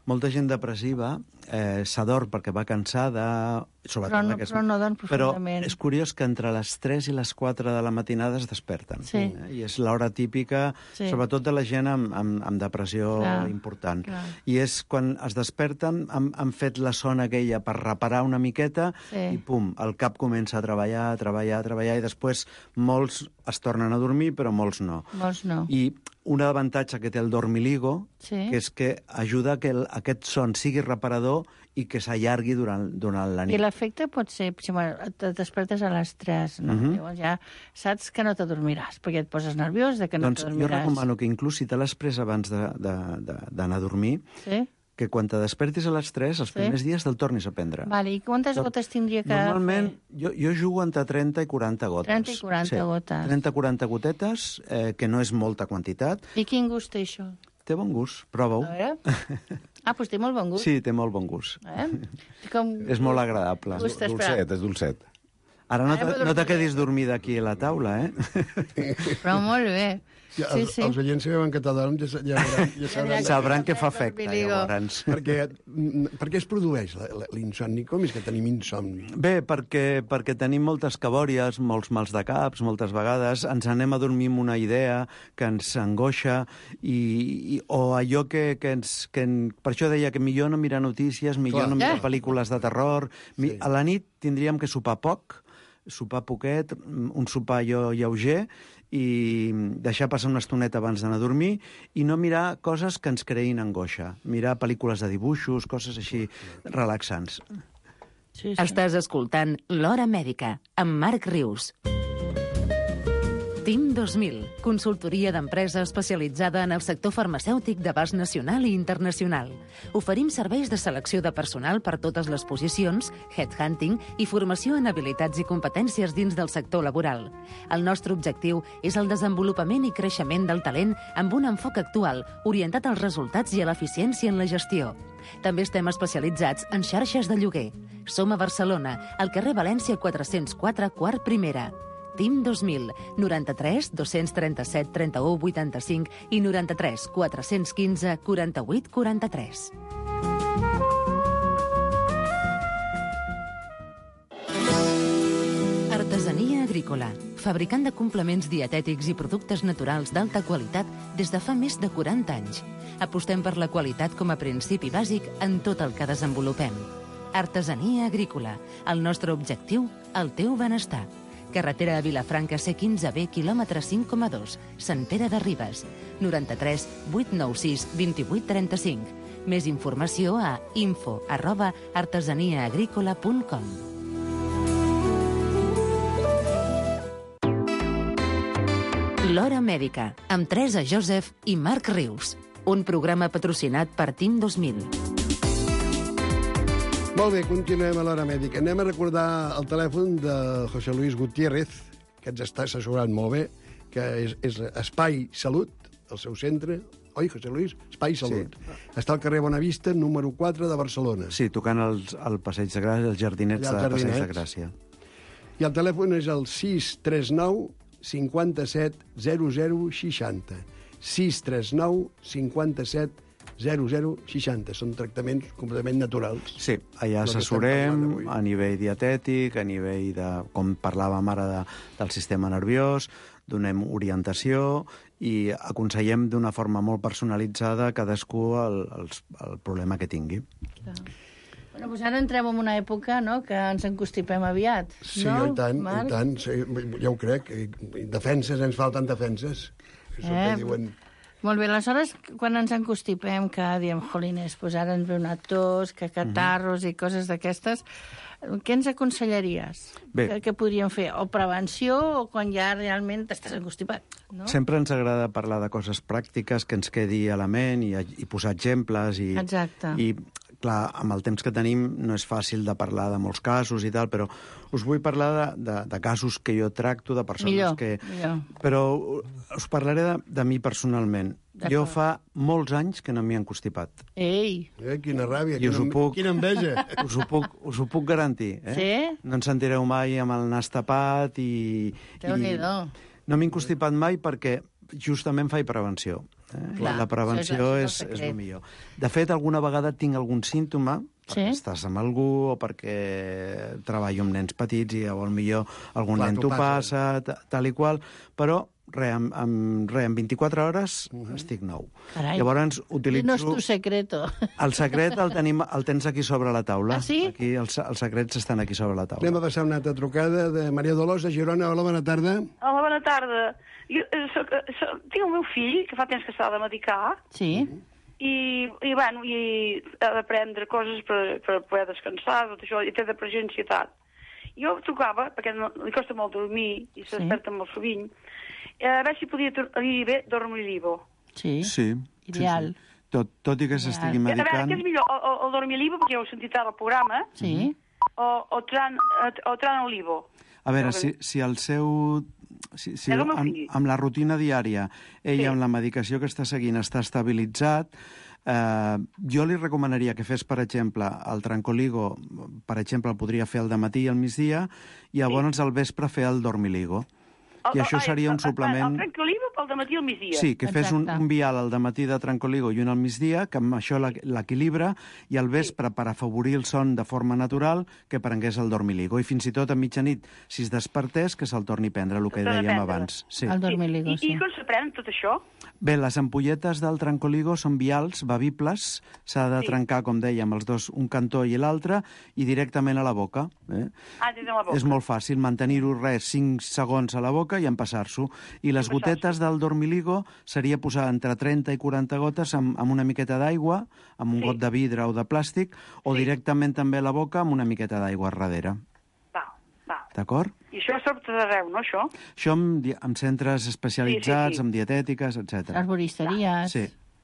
S7: molta gent depressiva eh, s'adorm perquè va cansada...
S6: Però no,
S7: aquest...
S6: però no dorm profundament.
S7: Però és curiós que entre les tres i les quatre de la matinada es desperten.
S6: Sí.
S7: Eh? I és l'hora típica,
S6: sí.
S7: sobretot de la gent amb, amb, amb depressió clar, important.
S6: Clar.
S7: I és quan es desperten, han, han fet la son aquella per reparar una miqueta sí. i pum, el cap comença a treballar, a treballar, a treballar, i després molts es tornen a dormir, però molts no.
S6: Molts no.
S7: I un avantatge que té el dormiligo,
S6: sí.
S7: que és que ajuda que el, aquest son sigui reparador i que s'allargui durant, durant la nit.
S6: I l'efecte pot ser, si et despertes a les tres, no? Uh-huh. Llavors ja saps que no t'adormiràs, perquè et poses nerviós de que no
S7: doncs
S6: t'adormiràs.
S7: Jo recomano que inclús si te l'has pres abans d'anar a dormir,
S6: sí?
S7: que quan te despertis a les tres, els sí? primers dies te'l tornis a prendre.
S6: Vale, i quantes Tot... gotes tindria que
S7: Normalment,
S6: fer?
S7: jo, jo jugo entre trenta i quaranta gotes.
S6: trenta i quaranta sí. gotes.
S7: trenta a quaranta gotetes, eh, que no és molta quantitat.
S6: I quin gust té això?
S7: Té bon gust, prova-ho.
S6: A veure... Ah, doncs té molt bon gust.
S7: Sí, té molt bon gust.
S6: Eh? Com...
S7: És molt agradable.
S8: Dulcet, és dulcet.
S7: Ara no, te, no te quedis dormida aquí a la taula, eh?
S6: Però molt bé.
S5: Ja,
S6: sí,
S5: els,
S6: sí.
S5: els oients si veuen que t'adorm ja, ja, ja, ja sabran...
S7: Sabran que fa efecte, llavors.
S5: Perquè, per què es produeix l'insomni? Com és que tenim insomni?
S7: Bé, perquè, perquè tenim moltes cabòries, molts mals de caps, moltes vegades ens anem a dormir amb una idea que ens angoixa, i, i, o allò que, que ens... Que en, per això deia que millor no mirar notícies, millor Clar. no mirar pel·lícules de terror. Sí. A la nit tindríem que sopar poc, sopar poquet, un sopar allò lleuger, i deixar passar una estoneta abans d'anar a dormir i no mirar coses que ens creïn angoixa. Mirar pel·lícules de dibuixos, coses així relaxants.
S4: Sí, sí. Estàs escoltant L'Hora Mèdica, amb Marc Rius. TIM dos mil, consultoria d'empresa especialitzada en el sector farmacèutic d'abast nacional i internacional. Oferim serveis de selecció de personal per totes les posicions, headhunting i formació en habilitats i competències dins del sector laboral. El nostre objectiu és el desenvolupament i creixement del talent amb un enfoc actual orientat als resultats i a l'eficiència en la gestió. També estem especialitzats en xarxes de lloguer. Som a Barcelona, al carrer València quatre-cents quatre, quart primera. TIM dos mil, noranta-tres dos-cents trenta-set trenta-u vuitanta-cinc i noranta-tres quatre-cents quinze quaranta-vuit quaranta-tres. Artesania agrícola, fabricant de complements dietètics i productes naturals d'alta qualitat des de fa més de quaranta anys. Apostem per la qualitat com a principi bàsic en tot el que desenvolupem. Artesania agrícola, el nostre objectiu, el teu benestar. Carretera a Vilafranca C quinze B, quilòmetre cinc coma dos, Sant Pere de Ribes, noranta-tres vuit nou sis vint-i-vuit trenta-cinc. Més informació a info arroba artesaniaagrícola punt com. L'Hora Mèdica, amb Teresa Joseph i Marc Rius. Un programa patrocinat per TIM dos mil.
S5: Molt bé, continuem a l'Hora Mèdica. Anem a recordar el telèfon de José Luis Gutiérrez, que ens està assessorant molt bé, que és, és Espai Salut, el seu centre. Oi, José Luis? Espai Salut. Sí. Està al carrer Bonavista, número quatre de Barcelona.
S7: Sí, tocant el, el Passeig de Gràcia, els jardinets de Passeig de Gràcia.
S5: I el telèfon és el sis tres nou cinquanta-set zero zero seixanta. sis tres nou cinquanta-set zero zero seixanta. Són tractaments completament naturals.
S7: Sí, allà assessorem a nivell dietètic, a nivell de, com parlàvem ara, de, del sistema nerviós, donem orientació i aconsellem d'una forma molt personalitzada cadascú el, el, el problema que tingui.
S6: Clar. Bueno, doncs ara entrem en una època, no?, que ens encostipem aviat.
S5: Sí,
S6: no,
S5: i tant,
S6: Marc?
S5: i tant. Sí, ja ho crec. Defenses, ens falten defenses. Això
S6: eh,
S5: que diuen...
S6: Molt bé, aleshores, quan ens encostipem, que diem, jolines, doncs ara ens ve una tos, que catarros uh-huh. i coses d'aquestes, què ens aconsellaries? Bé. Que, que podríem fer? O prevenció, o quan ja realment t'estàs encostipat, no?
S7: Sempre ens agrada parlar de coses pràctiques que ens quedi a la ment i, i posar exemples. I,
S6: Exacte.
S7: I, clar, amb el temps que tenim no és fàcil de parlar de molts casos i tal, però us vull parlar de, de, de casos que jo tracto, de persones
S6: millor,
S7: que...
S6: Millor.
S7: Però us parlaré de, de mi personalment. Jo fa molts anys que no m'hi he encostipat.
S6: Ei!
S5: Eh, quina ràbia,
S7: I
S5: quina,
S7: puc,
S5: quina enveja.
S7: Us ho puc, us ho puc garantir. Eh?
S6: Sí?
S7: No ens sentireu mai amb el nas tapat i...
S6: Déu-n'hi-do.
S7: No m'he encostipat mai perquè justament faig prevenció. Eh?
S6: Clar,
S7: la prevenció és, és el millor. De fet, alguna vegada tinc algun símptoma, perquè sí? estàs amb algú o perquè treballo amb nens petits i llavors millor algun Clar, nen t'ho passa, passa, tal i qual, però re, en, en, re, en vint-i-quatre hores uh-huh. estic nou.
S6: Carai.
S7: Llavors utilitzo...
S6: No és tu secreto.
S7: El secret el, tenim, el tens aquí sobre la taula.
S6: Ah, sí?
S7: Aquí els, els secrets estan aquí sobre la taula.
S5: Anem a passar una altra trucada de Maria Dolors de Girona. Hola, bona tarda.
S10: Hola, bona tarda. Jo, soc, soc, tinc el meu fill, que fa temps que s'ha de medicar.
S6: Sí.
S10: I, i, bueno, i ha de prendre coses per, per poder descansar, tot això, i té depressió i ansietat. Jo trucava, perquè no, li costa molt dormir, i se desperta sí. molt sovint, a veure si podia dir bé Dormilivo.
S6: Sí,
S7: sí.
S6: Ideal.
S7: Sí, sí. Tot, tot i que s'estigui medicant...
S10: A veure, què és millor, o, o Dormilivo, perquè ja heu sentit ara el programa,
S6: sí.
S10: o, o, tran, o Tranolivo.
S7: A veure, si, si el seu... Si, si amb, amb la rutina diària, ell sí. amb la medicació que està seguint està estabilitzat, eh, jo li recomanaria que fes, per exemple, el Trancoligo, per exemple, el podria fer al dematí i al migdia, i llavors sí. al vespre fer el Dormiligo. I el, això seria un suplement...
S10: El Trancoligo pel dematí al migdia.
S7: Sí, que fes un, un vial al dematí de Trancoligo i un al migdia, que amb això l'equilibra, i al vespre, sí. per afavorir el son de forma natural, que prengués el Dormiligo. I fins i tot a mitjanit, si es despertés, que se'l torni a prendre, el que dèiem abans. Sí.
S6: El Dormiligo, sí.
S10: I, i com se pren tot això?
S7: Bé, les ampolletes del Trancoligo són vials, bevibles, s'ha de sí. trencar, com dèiem, els dos, un cantó i l'altre, i directament a la boca. Eh?
S10: Ah, des de la boca.
S7: És molt fàcil, mantenir-ho res, cinc segons a la boca i empassar-s'ho. I les gotetes del Dormiligo seria posar entre trenta i quaranta gotes amb, amb una miqueta d'aigua, amb un sí. got de vidre o de plàstic, o sí. directament també a la boca amb una miqueta d'aigua a darrere. D'acord?
S10: I això és tot arreu, no, això?
S7: Això amb, amb centres especialitzats, sí, sí, sí. amb dietètiques, etcètera.
S6: Arboristeries.
S7: Sí.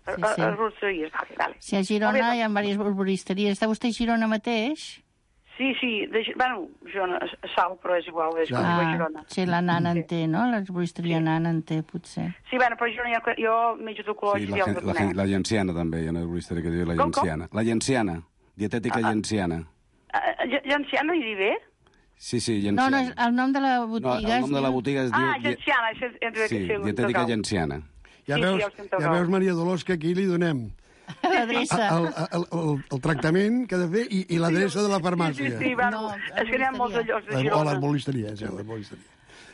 S6: Sí, sí.
S10: Arboristeries, vale, vale.
S6: Sí, a Girona hi ha diverses arboristeries. Està vostè a Girona mateix?
S10: Sí, sí, de, bueno, Girona, Sal, però és igual, és ah, a Girona.
S6: Sí, la Nana en té, no? L'arboristeria sí. Nana en té, potser.
S10: Sí, bueno, però Girona, jo, jo menjo tocologis
S8: sí,
S10: i el
S8: la, la, la Llenciana també, hi ha una arboristeria que diu la
S10: com,
S8: Llenciana. Com? La Llenciana, dietètica ah, Llenciana.
S10: Uh, Llenciana hi diu bé?
S8: Sí, sí, Llenciana.
S6: No, no, el nom de la botiga...
S8: No, el nom de la botiga es diu...
S10: Ah, Llenciana.
S8: Sí, dietètica Llenciana.
S5: Ja, sí, veus, sí, ja veus, Maria Dolors, que aquí li donem
S6: l'adreça.
S5: El, el, el, el tractament que ha de fer i, i l'adreça de la farmàcia.
S10: Sí, sí, sí, bueno, no, és que n'hi ha molts llocs de Girona.
S5: O l'arbolisteria, sí, l'arbolisteria.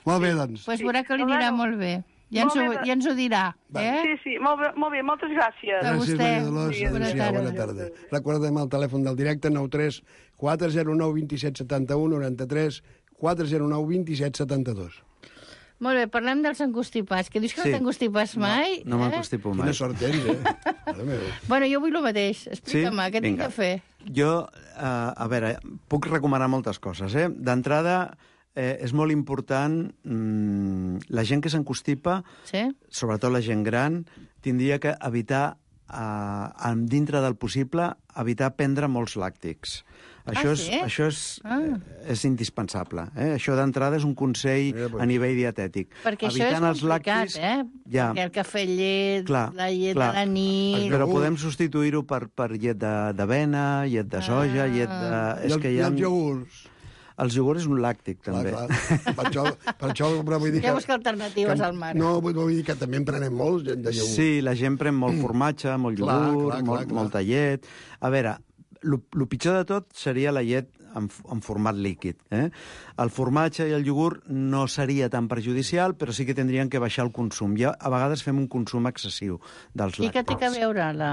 S5: Molt bé, doncs.
S6: Doncs pues veurà que li anirà molt bé. Ja ens, ho, ja ens ho dirà. Eh?
S10: Sí, sí, molt bé, molt bé, moltes gràcies.
S6: A vostè.
S5: Gràcies, Maria Dolors. Sí, bona, tarda. bona tarda. Recordem el telèfon del directe, nou tres quatre zero nou dos set set u noranta-tres quatre zero nou dos set set dos.
S6: Molt bé, parlem dels encostipats, que dius que sí. no t'encostipes mai.
S7: No, no
S6: eh?
S7: m'encostipo mai.
S5: Quina sort tens, eh?
S6: Bueno, jo vull el mateix. Explica'm, sí? Què tinc de fer?
S7: Jo, uh, a veure, puc recomanar moltes coses, eh? D'entrada, eh, és molt important, mm, la gent que s'encostipa,
S6: sí?
S7: sobretot la gent gran, tindria que evitar, uh, dintre del possible, evitar prendre molts làctics. Això,
S6: ah, sí?
S7: és, això és, ah. és indispensable. Eh? Això d'entrada és un consell sí, pues. a nivell dietètic.
S6: Perquè
S7: Evitant
S6: això és complicat, lactis, eh? Ja. Perquè el cafè llet, clar, la llet clar. de la nit...
S7: Però podem substituir-ho per, per llet d'avena, llet de soja, ah. llet de... És
S5: I, el,
S7: que hi ha...
S5: I els iogurts?
S7: Els iogurts és un làctic, també.
S5: Clar, clar. Per això, per això però vull dir que...
S6: Ja busca alternatives que, al mar.
S5: No, vull dir que també en prenem molts de iogurts.
S7: Sí, la gent pren molt formatge, molt iogurt, clar, clar, clar, molt, clar. molta llet... A veure, el pitjor de tot seria la llet en, en format líquid. Eh? El formatge i el iogurt no seria tan perjudicial, però sí que tindrien que baixar el consum. Ja a vegades fem un consum excessiu dels làctics.
S6: I què té que veure la,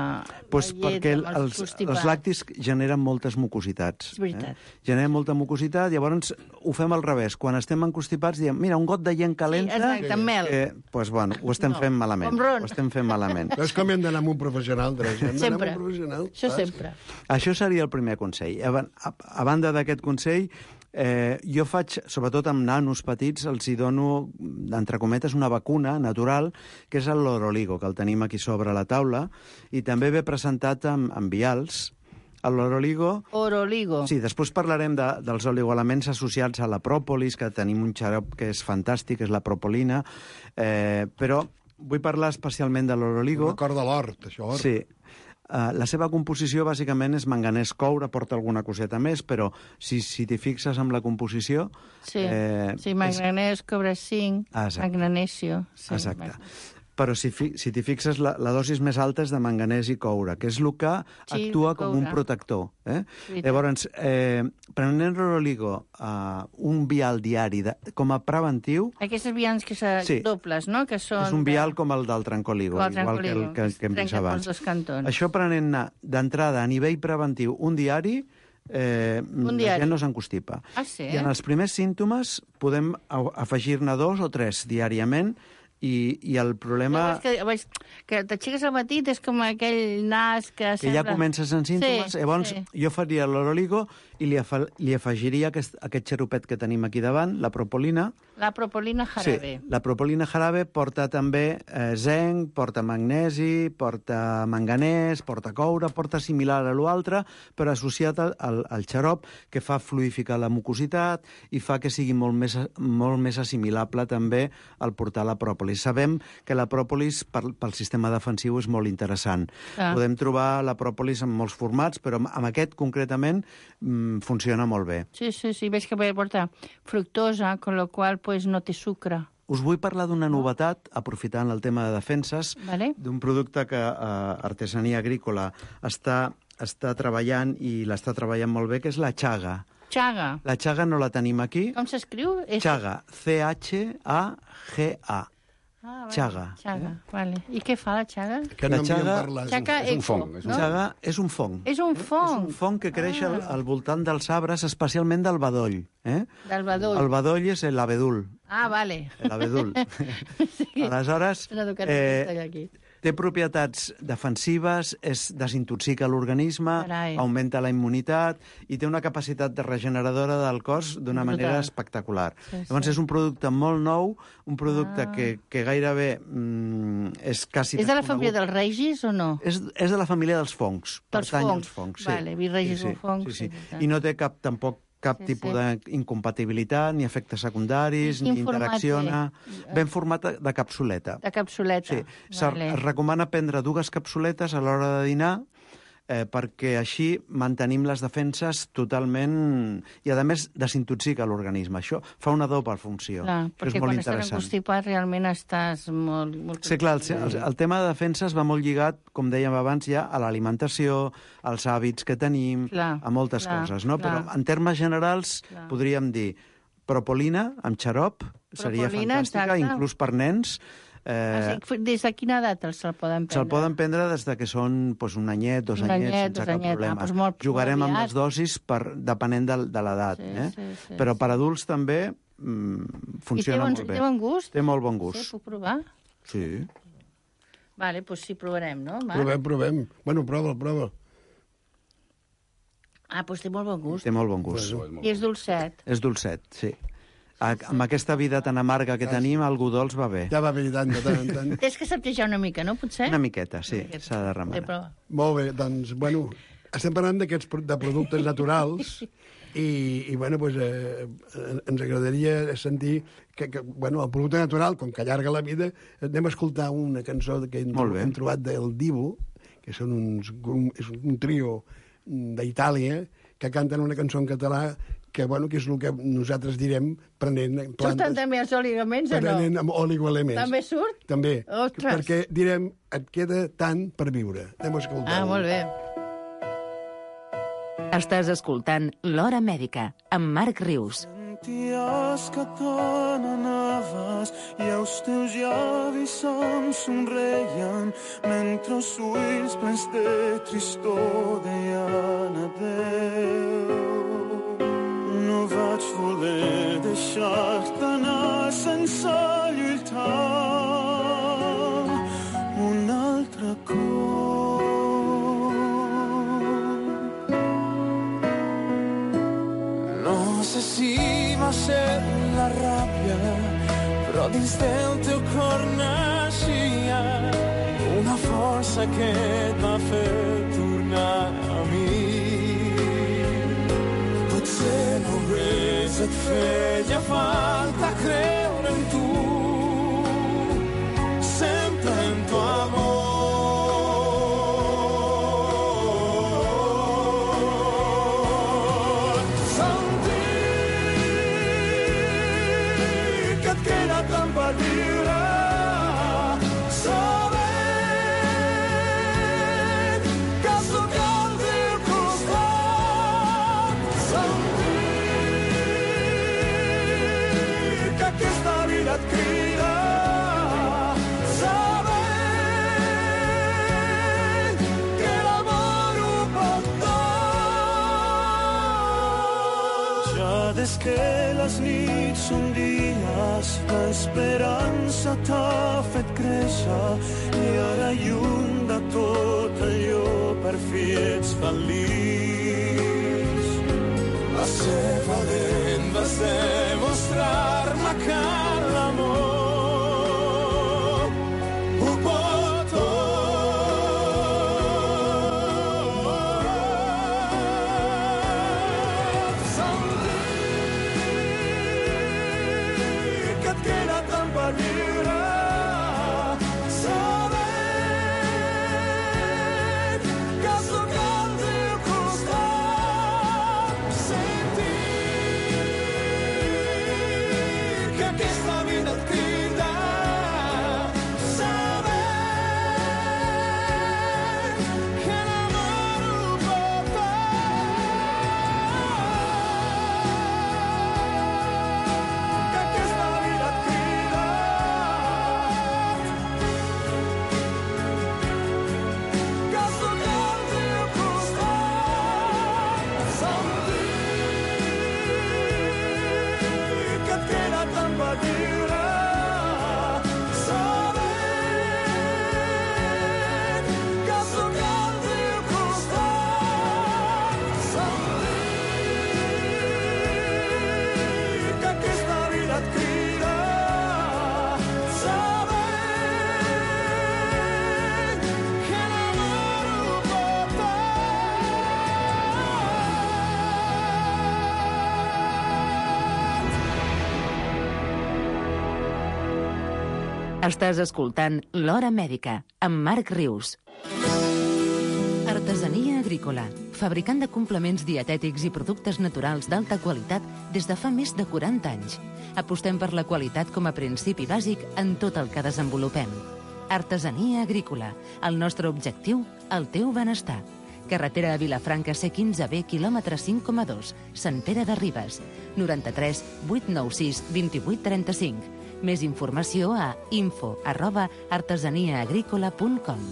S7: pues
S6: la llet
S7: perquè
S6: amb els,
S7: els, els làctics generen moltes mucositats.
S6: És veritat.
S7: Eh? Generen molta mucositat, llavors ho fem al revés. Quan estem encostipats diem, mira, un got de llet calenta...
S6: Sí, exacte, amb mel.
S7: Eh, pues, bueno, ho estem no, fent malament. Ho estem fent malament.
S5: No és com hem d'anar amb un professional, Teresa.
S6: Sempre.
S5: Amb un professional.
S6: Això sempre.
S7: Això seria el primer consell. A, a, a banda d'aquest consell, eh, jo faig, sobretot amb nanos petits, els hi dono, entre cometes, una vacuna natural, que és el Loroligo, que el tenim aquí sobre la taula, i també ve presentat amb, amb vials. El Loroligo...
S6: Oroligo.
S7: Sí, després parlarem de, dels oligoelements associats a la pròpolis, que tenim un xarop que és fantàstic, és la propolina, eh, però vull parlar especialment de l'Oroligo.
S5: Un acord de l'hort, això.
S7: Sí. Uh, la seva composició, bàsicament, és manganès coure, porta alguna coseta més, però si, si t'hi fixes amb la composició...
S6: Sí, eh, sí manganès, és... cobre zinc,
S7: ah,
S6: magnesio. Sí,
S7: exacte. però si, fi, si t'hi fixes, la, la dosis més alta és de manganès i coure, que és el que
S6: Sí,
S7: actua com
S6: coure.
S7: un protector. Eh?
S6: Veritat.
S7: Llavors, eh, prenent l'oligo uh, un vial diari de, com a preventiu,
S6: Aquestes vials que són
S7: Sí.
S6: dobles, no? Que són
S7: és un vial com el del trencoligo,
S6: Com el
S7: igual que el
S6: trencoligo,
S7: que,
S6: que es
S7: que hem vist
S6: trenca pels
S7: abans.
S6: dos cantons.
S7: Això prenent-ne d'entrada a nivell preventiu un diari, eh, la
S6: diari.
S7: gent no s'encostipa.
S6: Ah, sí?
S7: I en els primers símptomes podem a- afegir-ne dos o tres diàriament i, i el problema...
S6: Llavors que, veig, que t'aixeques al matí és com aquell nas que,
S7: que ja
S6: sembla...
S7: comences en símptomes,
S6: Sí,
S7: llavors
S6: sí.
S7: jo faria l'oroligo i li, afa, li afegiria aquest, aquest xaropet que tenim aquí davant, la propolina.
S6: La propolina jarabe.
S7: Sí, la propolina jarabe porta també eh, zinc, porta magnesi, porta manganès, porta coure, porta similar a l'altre, però associat al, al, al xarop, que fa fluidificar la mucositat i fa que sigui molt més, molt més assimilable també al portar la pròpolis. Sabem que la pròpolis per, pel sistema defensiu és molt interessant.
S6: Ah.
S7: Podem trobar la pròpolis en molts formats, però amb aquest concretament mm, funciona molt bé.
S6: Sí, sí, sí, veig que porta fructosa, con lo qual pues, no té sucre.
S7: Us vull parlar d'una novetat, aprofitant el tema de defenses,
S6: Vale.
S7: d'un producte que eh, Artesania Agrícola està, està treballant i l'està treballant molt bé, que és la xaga.
S6: Xaga.
S7: La xaga no la tenim aquí.
S6: Com s'escriu? És...
S7: Xaga, ce hache a ge a.
S6: Ah, vale.
S7: Xaga.
S6: Xaga, vale. I què fa la xaga?
S5: Que
S7: La
S5: no m'hi
S7: xaga-
S5: parlat.
S6: Xaga
S8: és un
S6: eco,
S8: fong, és un
S6: no?
S7: Xaga és un fong.
S6: És un fong.
S7: És un fong que creix al, al voltant dels arbres, especialment del bedoll. Eh?
S6: Del bedoll.
S7: El bedoll és l'abedul.
S6: Ah, vale.
S7: L'abedul.
S6: Sí.
S7: Aleshores,
S6: S'ha educat
S7: eh,
S6: aquí.
S7: té propietats defensives, és desintoxica l'organisme,
S6: Carai.
S7: augmenta la immunitat i té una capacitat de regeneradora del cos d'una
S6: Brutal.
S7: manera espectacular.
S6: Sí, sí.
S7: Llavors és un producte molt nou, un producte
S6: Ah.
S7: que, que gairebé mm, és quasi
S6: És de la família
S7: desconegut.
S6: dels regis o no?
S7: És, és de la família dels fongs.
S6: Dels
S7: pertany
S6: fongs.
S7: als fongs.
S6: Vale, virregis
S7: sí,
S6: o fongs,
S7: Sí, sí.
S6: sí, sí.
S7: I no té cap, tampoc cap
S6: Sí,
S7: tipus
S6: sí.
S7: d'incompatibilitat, ni efectes secundaris,
S6: I quin
S7: ni
S6: format
S7: interacciona.
S6: té?
S7: Ben format de capsuleta.
S6: De capsuleta.
S7: Sí, Se-
S6: Vale.
S7: es recomana prendre dues capsuletes a l'hora de dinar eh, perquè així mantenim les defenses totalment... I, a més, desintoxica l'organisme. Això fa una doble funció.
S6: Clar,
S7: Això
S6: perquè
S7: és molt
S6: quan estàs
S7: interessant.
S6: encostipat realment estàs molt... molt
S7: Sí, clar, el, el, el tema de defenses va molt lligat, com dèiem abans, ja a l'alimentació, als hàbits que tenim,
S6: Clar,
S7: a moltes
S6: clar,
S7: coses, no?
S6: clar.
S7: Però en termes generals
S6: Clar.
S7: podríem dir propolina amb xarop, seria
S6: Propolina,
S7: fantàstica,
S6: exacte.
S7: inclús per nens. Eh,
S6: Eh... Des de quina edat els se'l poden prendre?
S7: Se'l poden prendre des de que són pues, un anyet, dos
S6: Un
S7: anyets,
S6: anyet,
S7: sense
S6: dos
S7: cap
S6: anyets. Ah,
S7: problema.
S6: doncs molt-
S7: Jugarem
S6: molt
S7: amb
S6: aviat.
S7: les dosis per, depenent de, de l'edat.
S6: Sí,
S7: eh?
S6: sí, sí,
S7: Però
S6: sí.
S7: per adults també mm,
S6: I té
S7: funciona
S6: bon,
S7: molt bé.
S6: té bon gust?
S7: Té molt bon
S6: Sí,
S7: gust.
S6: puc provar?
S7: Sí.
S6: Vale, doncs sí, provarem, no, Marc?
S5: Provem, provem. Bueno, prova, prova.
S6: Ah, doncs té molt bon gust.
S7: Té molt bon gust.
S6: I és dolcet.
S7: És dolcet, sí. A, amb aquesta vida tan amarga que tenim, algú dolç va bé.
S5: Ja va bé tant, de tant en tant.
S6: Tens que saptejar una mica, no, potser?
S7: Una miqueta, sí,
S6: Una miqueta.
S7: s'ha de
S6: Té
S7: remenar.
S6: prova.
S5: Molt bé, doncs, bueno, estem parlant d'aquests pro- de productes naturals i, i bueno, pues, eh, ens agradaria sentir que, que, bueno, el producte natural, com que allarga la vida, anem a escoltar una cançó que hem,
S7: Molt bé.
S5: hem trobat del Divo, que són uns, un, és un trio d'Itàlia, que canten una cançó en català que, bueno, que és el que nosaltres direm prenent
S6: Surten
S5: plantes,
S6: també els oligaments o no?
S5: prenent amb oligoelements.
S6: També surt?
S5: També.
S6: Ostres.
S5: Perquè direm, et queda tant per viure. Anem a escoltar.
S6: Ah, molt bé.
S4: Estàs escoltant L'Hora Mèdica, amb Marc Rius.
S11: Senties que te n'anaves i els teus llavis em somreien mentre els ulls plens de tristor deien adeu. No vaig voler deixar-te anar sense lluitar un altre cop. No sé si va ser la ràbia, però dins del teu cor naixia una força que et va fer tornar a mi. Potser només et feia falta creure en tu, sempre en tu amor. Sentir que et queda tant per viure, les nits són dies, l'esperança t'ha fet créixer i ara lluny de tot allò per fi ets feliç. Vas ser valent, vas demostrar-me que l'amor ho pot tot. Sentir que et queda tant per viure,
S4: Estàs escoltant L'Hora Mèdica, amb Marc Rius. Artesania Agrícola, fabricant de complements dietètics i productes naturals d'alta qualitat des de fa més de quaranta anys. Apostem per la qualitat com a principi bàsic en tot el que desenvolupem. Artesania Agrícola, el nostre objectiu, el teu benestar. Carretera a Vilafranca C quinze B, quilòmetre cinc coma dos, Sant Pere de Ribes, noranta-tres vuit nou sis vint vuit trenta-cinc. Més informació a info arroba artesaniaagrícola punt com.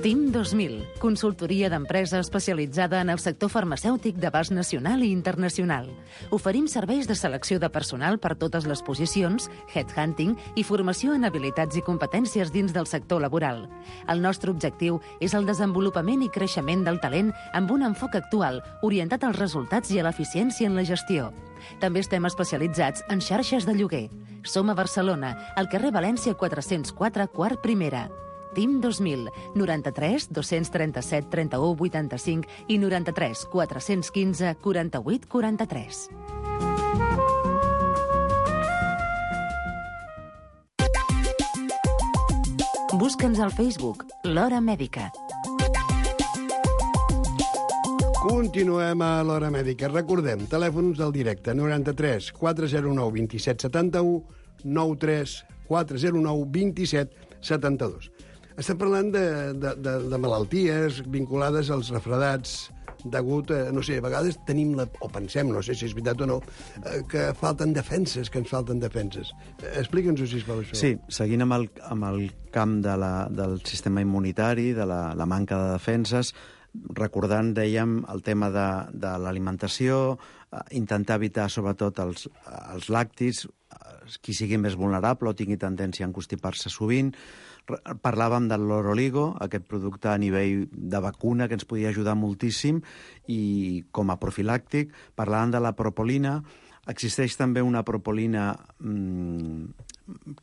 S4: Team dos mil, consultoria d'empresa especialitzada en el sector farmacèutic d'abast nacional i internacional. Oferim serveis de selecció de personal per totes les posicions, headhunting i formació en habilitats i competències dins del sector laboral. El nostre objectiu és el desenvolupament i creixement del talent amb un enfoc actual, orientat als resultats i a l'eficiència en la gestió. També estem especialitzats en xarxes de lloguer. Som a Barcelona, al carrer València quatre-cents quatre, quart primera. Team dos mil, noranta-tres dos-cents trenta-set trenta-u vuitanta-cinc i noranta-tres quatre-cents quinze quaranta-vuit quaranta-tres. Busca'ns al Facebook, L'Hora Mèdica.
S5: Continuem a l'Hora Mèdica. Recordem, telèfons del directe, noranta-tres quatre zero nou dos set set u, nou tres quatre zero nou dos set set dos. Estem parlant de, de, de, de malalties vinculades als refredats degut a, no sé, a vegades tenim la, o pensem, no sé si és veritat o no, que falten defenses, que ens falten defenses. Explica'ns-ho, sisplau, això.
S7: Sí, seguint amb el, amb el camp de la, del sistema immunitari, de la, la manca de defenses, recordant, dèiem, el tema de, de l'alimentació, intentar evitar sobretot els, els làctics, qui sigui més vulnerable o tingui tendència a encostipar-se sovint. Parlàvem del Loroligo, aquest producte a nivell de vacuna que ens podia ajudar moltíssim i com a profilàctic. Parlàvem de la propolina. Existeix també una propolina mmm,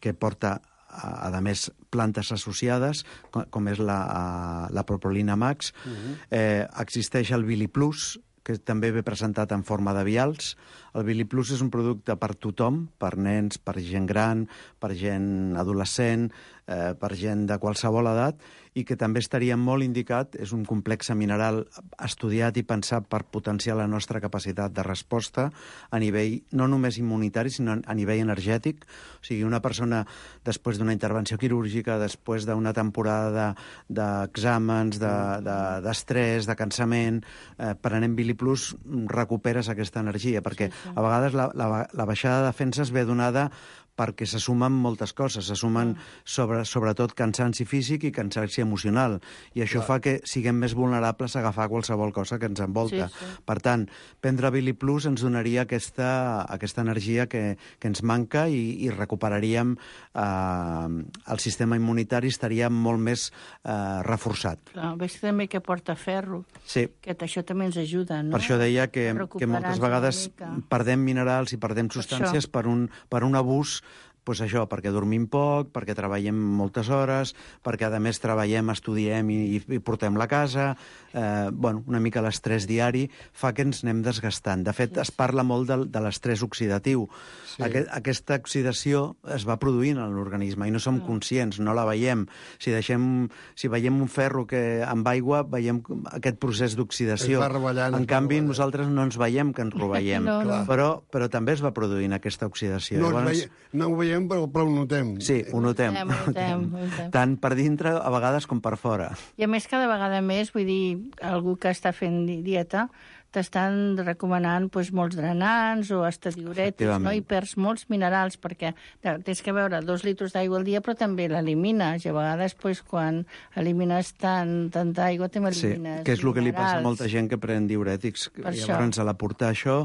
S7: que porta, a, a més, plantes associades, com és la, la propolina max. Uh-huh. eh, existeix el Biliplus, que també ve presentat en forma de vials. El Biliplus és un producte per tothom, per nens, per gent gran, per gent adolescent, eh, per gent de qualsevol edat, i que també estaria molt indicat, és un complex mineral estudiat i pensat per potenciar la nostra capacitat de resposta a nivell no només immunitari, sinó a nivell energètic. O sigui, una persona, després d'una intervenció quirúrgica, després d'una temporada d'exàmens, de, de, d'estrès, de cansament, eh, prenent Biliplus recuperes aquesta energia, perquè a vegades la, la, la baixada de defenses ve donada perquè se sumen moltes coses, se sumen sobre sobre, sobretot cansanci físic i cansanci emocional. I això Clar. fa que siguem més vulnerables a agafar qualsevol cosa que ens envolta. Sí, sí. Per tant, prendre Bili Plus ens donaria aquesta, aquesta energia que, que ens manca i, i recuperaríem eh, el sistema immunitari, estaria molt més eh, reforçat.
S6: Clar, veig també que porta ferro,
S7: sí.
S6: que això també ens ajuda, no?
S7: Per això deia que, que moltes vegades perdem minerals i perdem substàncies per un, per un abús, pues això, perquè dormim poc, perquè treballem moltes hores, perquè a més treballem, estudiem i, i portem la casa, eh, bueno, una mica l'estrès diari fa que ens anem desgastant. De fet, es parla molt de, de l'estrès oxidatiu. Sí. Aquest, aquesta oxidació es va produint en l'organisme i no som conscients, no la veiem. Si deixem, si veiem un ferro que amb aigua, veiem aquest procés d'oxidació. En canvi, nosaltres no ens veiem que ens roveiem, no, no. Però, però també es va produint aquesta oxidació.
S5: No, Llavors, veiem, no ho veiem, però, però ho notem.
S7: Sí, ho notem. Ho notem, ho notem. Tant per dintre, a vegades, com per fora.
S6: I a més, cada vegada més, vull dir, algú que està fent dieta t'estan recomanant doncs, molts drenants o hasta diurètics, no? I perds molts minerals, perquè tens que beure dos litres d'aigua al dia, però també l'elimines. I a vegades, doncs, quan elimines tant, tanta aigua, també elimines
S7: Sí, que és el que li passa a molta gent que pren diurètics. Per Llavors, a l'aportar això,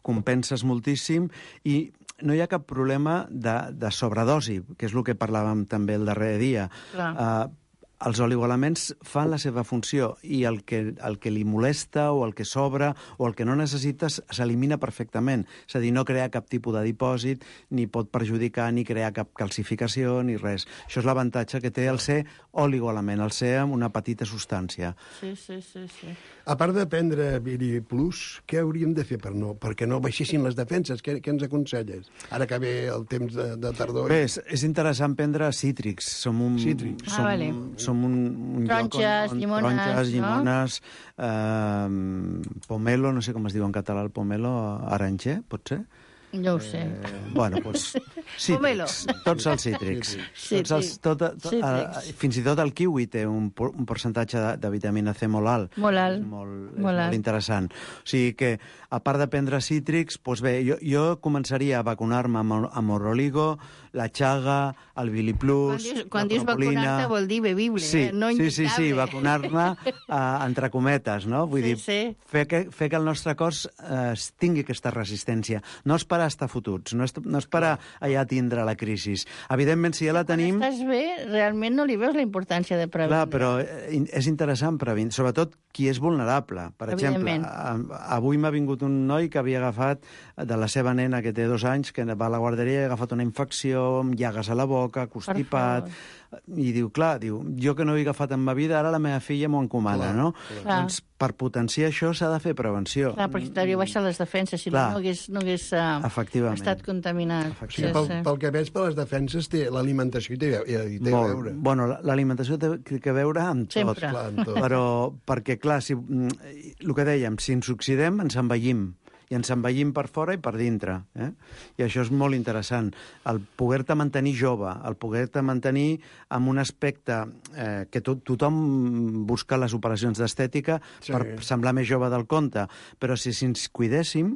S7: compenses moltíssim i no hi ha cap problema de, de sobredosi, que és el que parlàvem també el darrer dia. Clar. Uh, els oligoelements fan la seva funció i el que, el que li molesta o el que sobra o el que no necessites s'elimina perfectament. És a dir, no crea cap tipus de dipòsit, ni pot perjudicar, ni crear cap calcificació, ni res. Això és l'avantatge que té el ser oligoelement, el ser amb una petita substància.
S6: Sí, sí, sí. sí.
S5: A part de prendre Bili Plus, què hauríem de fer per no, perquè no baixessin les defenses? Què, què ens aconselles? Ara que ve el temps de, de tardor...
S7: Bé, és, és interessant prendre cítrics. Som un...
S5: Cítrics.
S7: Som,
S6: ah, vale.
S7: Som un, un
S6: Tronxes,
S7: lloc on, on,
S6: llimones,
S7: tronxes, llimones,
S6: no?
S7: eh, pomelo, no sé com es diu en català el pomelo, aranger, pot ser?
S6: No ho sé.
S7: Eh, bueno, doncs, cítrics, tots els cítrics. Tots els, tot, tot, uh, fins i tot el kiwi té un, un percentatge de, de vitamina C molt alt.
S6: Molt alt.
S7: És molt, és
S6: molt,
S7: molt interessant. O sigui que, a part de prendre cítrics, doncs bé, jo, jo començaria a vacunar-me amb, amb Oroligo, la Chaga, el Bili Plus,
S6: quan dius, quan dius vacunar-te vol dir bevible,
S7: sí,
S6: eh? No
S7: sí, sí, sí, vacunar-me uh, entre cometes, no? Vull
S6: sí,
S7: dir,
S6: sí.
S7: Fer, que, fer que el nostre cos uh, tingui aquesta resistència. No esperar a estar fotuts, no, est no esperar allà a tindre la crisi. Evidentment, si ja la tenim...
S6: Quan estàs bé, realment no li veus la importància de prevenir.
S7: Clar, però és interessant prevenir, sobretot qui és vulnerable. Per exemple, avui m'ha vingut un noi que havia agafat de la seva nena, que té dos anys, que va a la guarderia i ha agafat una infecció, amb llagues a la boca, constipat, i diu, clar, diu, jo que no he agafat en ma vida, ara la meva filla m'ho encomana, no?
S6: Clar.
S7: Doncs per potenciar això s'ha de fer prevenció.
S6: Clar, perquè t'hauria baixat les defenses, si clar. no hagués, no hagués uh, estat contaminat.
S5: Sí, pel, sí. pel que veig, per les defenses, té l'alimentació i té, i té
S7: Molt.
S5: a veure.
S7: Bueno, l'alimentació té que veure amb tot.
S6: Sempre.
S5: Clar, amb tot.
S7: Però, perquè, clar, si, el que dèiem, si ens oxidem, ens envellim. I ens envellim per fora i per dintre. Eh? I això és molt interessant. El poder-te mantenir jove, el poder-te mantenir amb un aspecte eh, que to tothom busca les operacions d'estètica sí. per semblar més jove del compte, però si, si ens cuidéssim,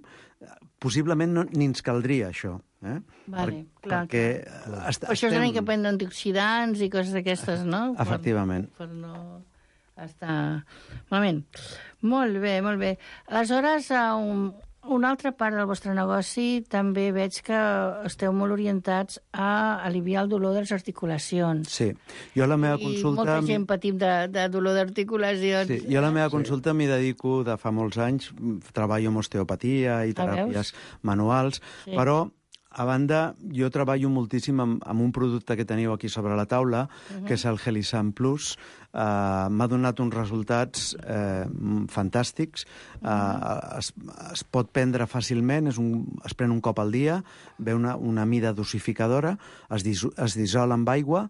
S7: possiblement no, ni ens caldria això. Eh?
S6: Vale,
S7: per,
S6: clar,
S7: perquè
S6: clar.
S7: Est
S6: per això estem... que prendre antioxidants i coses d'aquestes, no?
S7: Efectivament.
S6: Per, per no estar malament. Molt bé, molt bé. Aleshores, un... Una altra part del vostre negoci també veig que esteu molt orientats a aliviar el dolor de les articulacions.
S7: Sí. Jo la meva
S6: I
S7: consulta...
S6: molta gent patim de, de dolor d'articulacions.
S7: Sí. Jo la meva consulta m'hi dedico de fa molts anys. Treballo amb osteopatia i teràpies manuals, sí. però... A banda, jo treballo moltíssim amb, amb un producte que teniu aquí sobre la taula, uh -huh. que és el Helisam Plus. Uh, M'ha donat uns resultats eh, fantàstics. Uh, uh -huh. es, es pot prendre fàcilment, és un, es pren un cop al dia, ve una, una mida dosificadora, es, dis, es dissol amb aigua,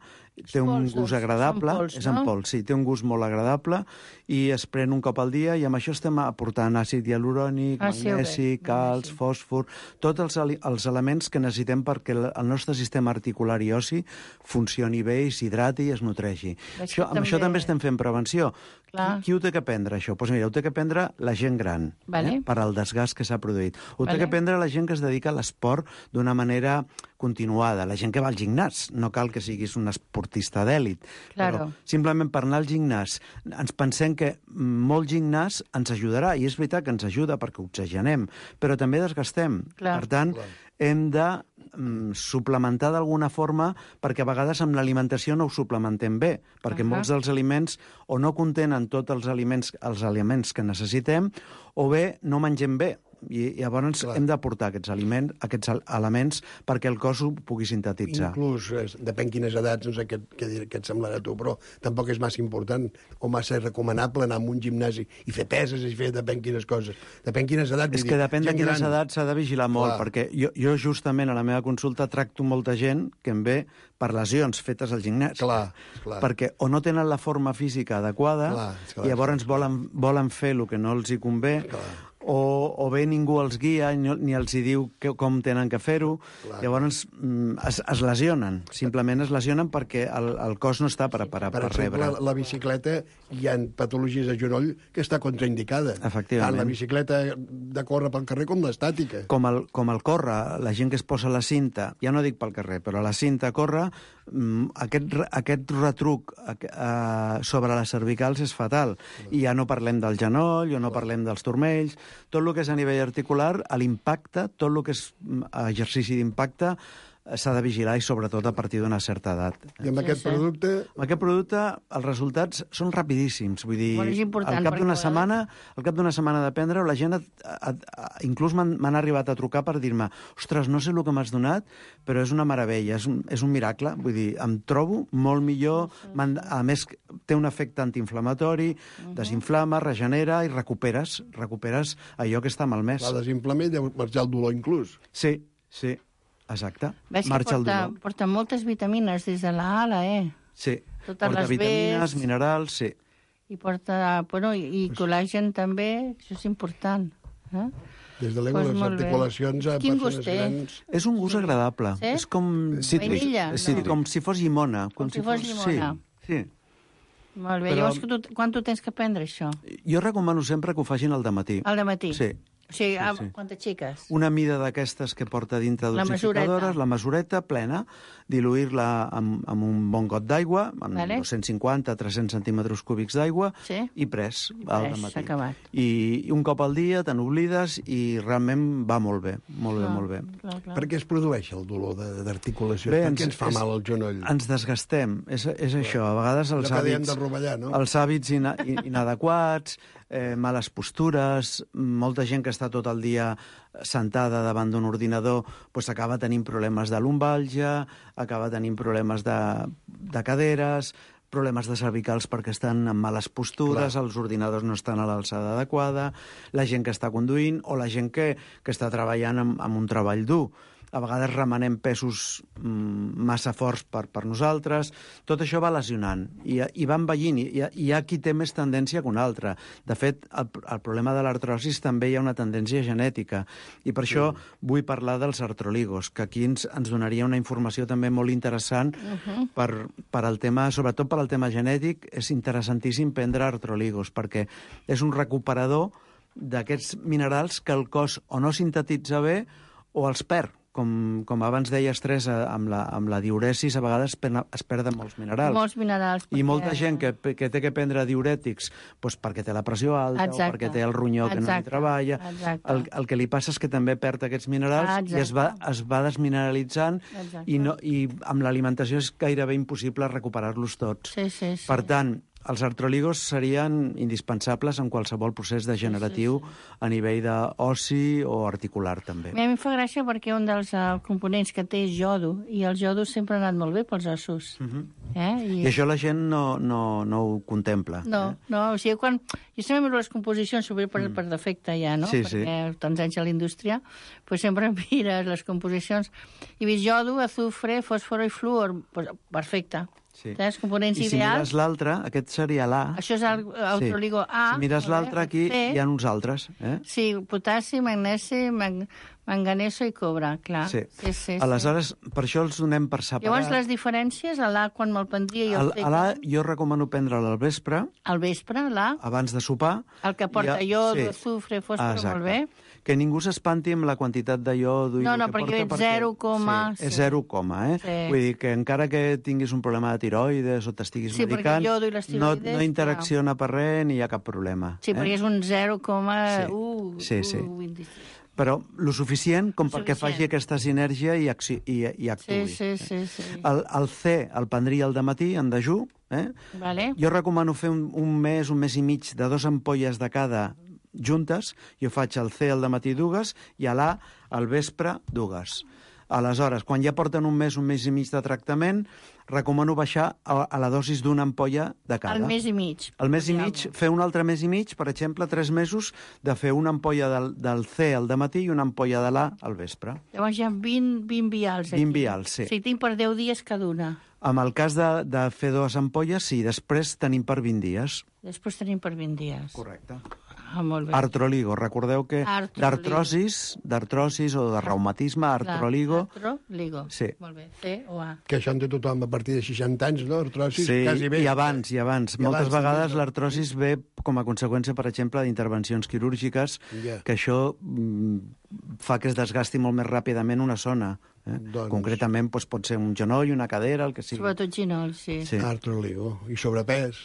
S7: té un
S6: pols,
S7: gust
S6: doncs,
S7: agradable,
S6: pols,
S7: és
S6: no?
S7: en pols, sí, té un gust molt agradable i es pren un cop al dia i amb això estem aportant àcid hialurònic,
S6: ah, sí,
S7: magnesi, calç, sí. fòsfor, tots els, els elements que necessitem perquè el, el nostre sistema articular i ossi funcioni bé i s'hidrati i es nutreixi. Això, amb també... això també estem fent prevenció. Qui, qui ho té que prendre, això? Doncs mira, ho té que prendre la gent gran,
S6: vale.
S7: eh, per al desgast que s'ha produït. Ho
S6: vale.
S7: té que prendre la gent que es dedica a l'esport d'una manera continuada, la gent que va al gimnàs. No cal que siguis un esportista esportista d'èlit.
S6: Claro.
S7: Però simplement per anar al gimnàs, ens pensem que molt gimnàs ens ajudarà, i és veritat que ens ajuda perquè oxigenem, però també desgastem.
S6: Clar.
S7: Per tant, Clar. hem de mm, suplementar d'alguna forma, perquè a vegades amb l'alimentació no ho suplementem bé, perquè uh-huh. molts dels aliments o no contenen tots els aliments, els aliments que necessitem, o bé no mengem bé. I llavors Clar. hem d'aportar aquests aliments, aquests elements perquè el cos ho pugui sintetitzar.
S5: Inclús, eh, depèn quines edats, no sé què, què, què et semblarà a tu, però tampoc és massa important o massa recomanable anar a un gimnàs i fer peses i fer depèn quines coses. Depèn quines edats.
S7: És que depèn de quines edats s'ha de vigilar molt, Clar. perquè jo, jo justament a la meva consulta tracto molta gent que em ve per lesions fetes al gimnàs.
S5: Clar, clar.
S7: Perquè o no tenen la forma física adequada clar, clar, i llavors clar. volen, volen fer el que no els hi convé, clar. O, o bé ningú els guia ni, ni els hi diu que, com tenen que fer-ho. Llavors mm, es, es lesionen, simplement es lesionen perquè el, el cos no està preparat per, per, per rebre.
S5: Per exemple, la bicicleta, hi ha patologies de genoll que està contraindicada.
S7: Efectivament.
S5: Tant la bicicleta de córrer pel carrer com l'estàtica.
S7: Com el, com el córrer, la gent que es posa la cinta, ja no dic pel carrer, però la cinta a córrer, aquest, aquest retruc eh, sobre les cervicals és fatal. I ja no parlem del genoll, o no parlem dels turmells, tot el que és a nivell articular, l'impacte, tot el que és exercici d'impacte, s'ha de vigilar i sobretot a partir d'una certa edat.
S5: I amb aquest producte...
S7: Amb aquest producte els resultats són rapidíssims. Vull dir,
S6: bueno,
S7: al cap d'una setmana, al cap d'una setmana de prendre-ho, la gent, a, a, a, inclús m'han arribat a trucar per dir-me ostres, no sé el que m'has donat, però és una meravella, és un, és un miracle. Vull dir, em trobo molt millor, a més té un efecte antiinflamatori, uh-huh. desinflama, regenera i recuperes, recuperes allò que està malmès.
S5: La desinflama i deu marxar el dolor inclús.
S7: Sí, sí. Exacte.
S6: Veig que porta, porta moltes vitamines des de la A a la E.
S7: Sí,
S6: totes
S7: porta
S6: les
S7: vitamines,
S6: Bs,
S7: minerals, sí.
S6: I porta, bueno, i, i col·làgen també, això és important. Eh?
S5: Des de l'ego, pues les articulacions a
S6: Quin
S5: persones grans...
S7: És un gust agradable.
S6: Sí?
S7: És com...
S6: Vainilla?
S7: Sí, no. Com si fos llimona.
S6: Com, com si fos llimona.
S7: Sí, sí.
S6: Molt bé. Però... Llavors, tu, quan tu tens que prendre això?
S7: Jo recomano sempre que ho facin al dematí.
S6: Al dematí?
S7: Sí.
S6: O sigui,
S7: sí, sí.
S6: Quantes xiques?
S7: Una mida d'aquestes que porta dintre dosificadores, la mesureta plena, diluir-la amb, amb un bon got d'aigua, amb vale. dos-cents cinquanta a tres-cents centímetres cúbics d'aigua, sí. i pres, I al dematí.
S6: Acabat.
S7: I, I un cop al dia te n'oblides i realment va molt bé, molt clar, bé, molt bé.
S5: Clar, clar. Per què es produeix el dolor d'articulació? Per què ens fa és, mal el genoll?
S7: Ens desgastem, és, és això. A vegades els hàbits,
S5: rovellar, no?
S7: els hàbits ina, inadequats, eh, males postures, molta gent que està tot el dia sentada davant d'un ordinador pues acaba tenint problemes de lumbàlgia, acaba tenint problemes de, de caderes, problemes de cervicals perquè estan en males postures, Clar. els ordinadors no estan a l'alçada adequada, la gent que està conduint o la gent que, que està treballant amb, amb un treball dur. A vegades remenem pesos mm, massa forts per, per nosaltres. Tot això va lesionant i, i va envellint. I, i hi ha qui té més tendència que un altre. De fet, el, el problema de l'artrosis també hi ha una tendència genètica. I per això mm. vull parlar dels artroligos, que aquí ens, ens donaria una informació també molt interessant uh-huh. per, per al tema, sobretot per al tema genètic. És interessantíssim prendre artroligos, perquè és un recuperador d'aquests minerals que el cos o no sintetitza bé o els perd. Com, com abans deies, Tres, amb la, amb la diuresis a vegades es perden molts minerals.
S6: Molts minerals.
S7: Perquè... I molta gent que, que té que prendre diurètics doncs perquè té la pressió alta Exacte. o perquè té el ronyó que Exacte. no hi treballa. El, el que li passa és que també perd aquests minerals Exacte. i es va, es va desmineralitzant i, no, i amb l'alimentació és gairebé impossible recuperar-los tots.
S6: Sí, sí, sí.
S7: Per tant, els artroligos serien indispensables en qualsevol procés degeneratiu sí, sí, sí. a nivell d'oci o articular, també.
S6: A mi em fa gràcia perquè un dels uh, components que té és jodo, i el jodo sempre ha anat molt bé pels ossos. Uh-huh. eh? I...
S7: I això la gent no, no, no ho contempla.
S6: No,
S7: eh?
S6: no, o sigui, quan... Jo sempre miro les composicions, sobretot per, mm. per defecte ja, no?
S7: Sí,
S6: perquè
S7: sí.
S6: tants anys a la indústria, pues sempre mires les composicions. I veus jodo, azufre, fòsforo i fluor, pues, perfecte.
S7: Sí.
S6: Els components
S7: I si
S6: ideals...
S7: mires l'altre, aquest seria l'A.
S6: Això és el autroligo
S7: sí.
S6: A.
S7: Si mires l'altre, aquí
S6: C.
S7: hi ha uns altres. Eh?
S6: Sí, potassi, magnesi, mag... Manganeso i cobre, clar.
S7: Sí.
S6: Sí, sí,
S7: Aleshores, sí. per això els donem per separat.
S6: Llavors, les diferències, a l'A, quan me'l prendria i el
S7: El,
S6: C...
S7: a l'A jo recomano prendre'l al vespre.
S6: Al vespre, l'A.
S7: Abans de sopar.
S6: El que porta
S7: ha...
S6: iod,
S7: sí.
S6: azufre, fòsfor, molt bé.
S7: Que ningú s'espanti amb la quantitat de iodo i
S6: no,
S7: el
S6: no,
S7: que
S6: perquè
S7: porta.
S6: és zero coma...
S7: Sí, és zero coma, eh?
S6: Sí.
S7: Vull dir que encara que tinguis un problema de tiroides o t'estiguis
S6: sí,
S7: medicant, no, no interacciona
S6: clar.
S7: per res ni hi ha cap problema.
S6: Sí, eh? perquè és un zero coma u.
S7: Sí, sí. sí. Però lo suficient com suficient. perquè faci aquesta sinergia i, acci i, i actuï.
S6: Sí, sí, sí. sí.
S7: El, el C el prendria al dematí, en dejú. Eh?
S6: Vale.
S7: Jo recomano fer un, un mes, un mes i mig de dos ampolles de cada juntes. Jo faig el C al dematí dues i a l'A al vespre dues. Aleshores, quan ja porten un mes, un mes i mig de tractament, recomano baixar a, a la dosis d'una ampolla de cada.
S6: El mes i mig.
S7: El mes i mig, fer un altre mes i mig, per exemple, tres mesos, de fer una ampolla del, del C al dematí i una ampolla de l'A al vespre.
S6: Llavors hi ha vint, vint vials aquí.
S7: vint vials, sí.
S6: Sí, tinc per deu dies cada una.
S7: En el cas de, de fer dues ampolles, sí, després tenim per vint dies.
S6: Després tenim per vint dies.
S7: Correcte.
S6: Ah, molt bé.
S7: Artroligo, recordeu que d'artrosis, d'artrosis o de reumatisme, artroligo...
S6: Artroligo,
S7: sí.
S6: Molt bé, C o A.
S5: Que això en té tothom a partir de seixanta anys, no? Artrosis,
S7: sí,
S5: quasi bé.
S7: i abans, i abans.
S5: I
S7: Moltes
S5: abans,
S7: vegades
S5: també.
S7: l'artrosis ve com a conseqüència, per exemple, d'intervencions quirúrgiques,
S5: yeah.
S7: que això mm, fa que es desgasti molt més ràpidament una zona. Eh?
S5: Doncs...
S7: Concretament doncs, pot ser un genoll, una cadera, el que sigui.
S6: Sobretot genoll, sí.
S7: sí.
S5: Artroligo. I sobrepès.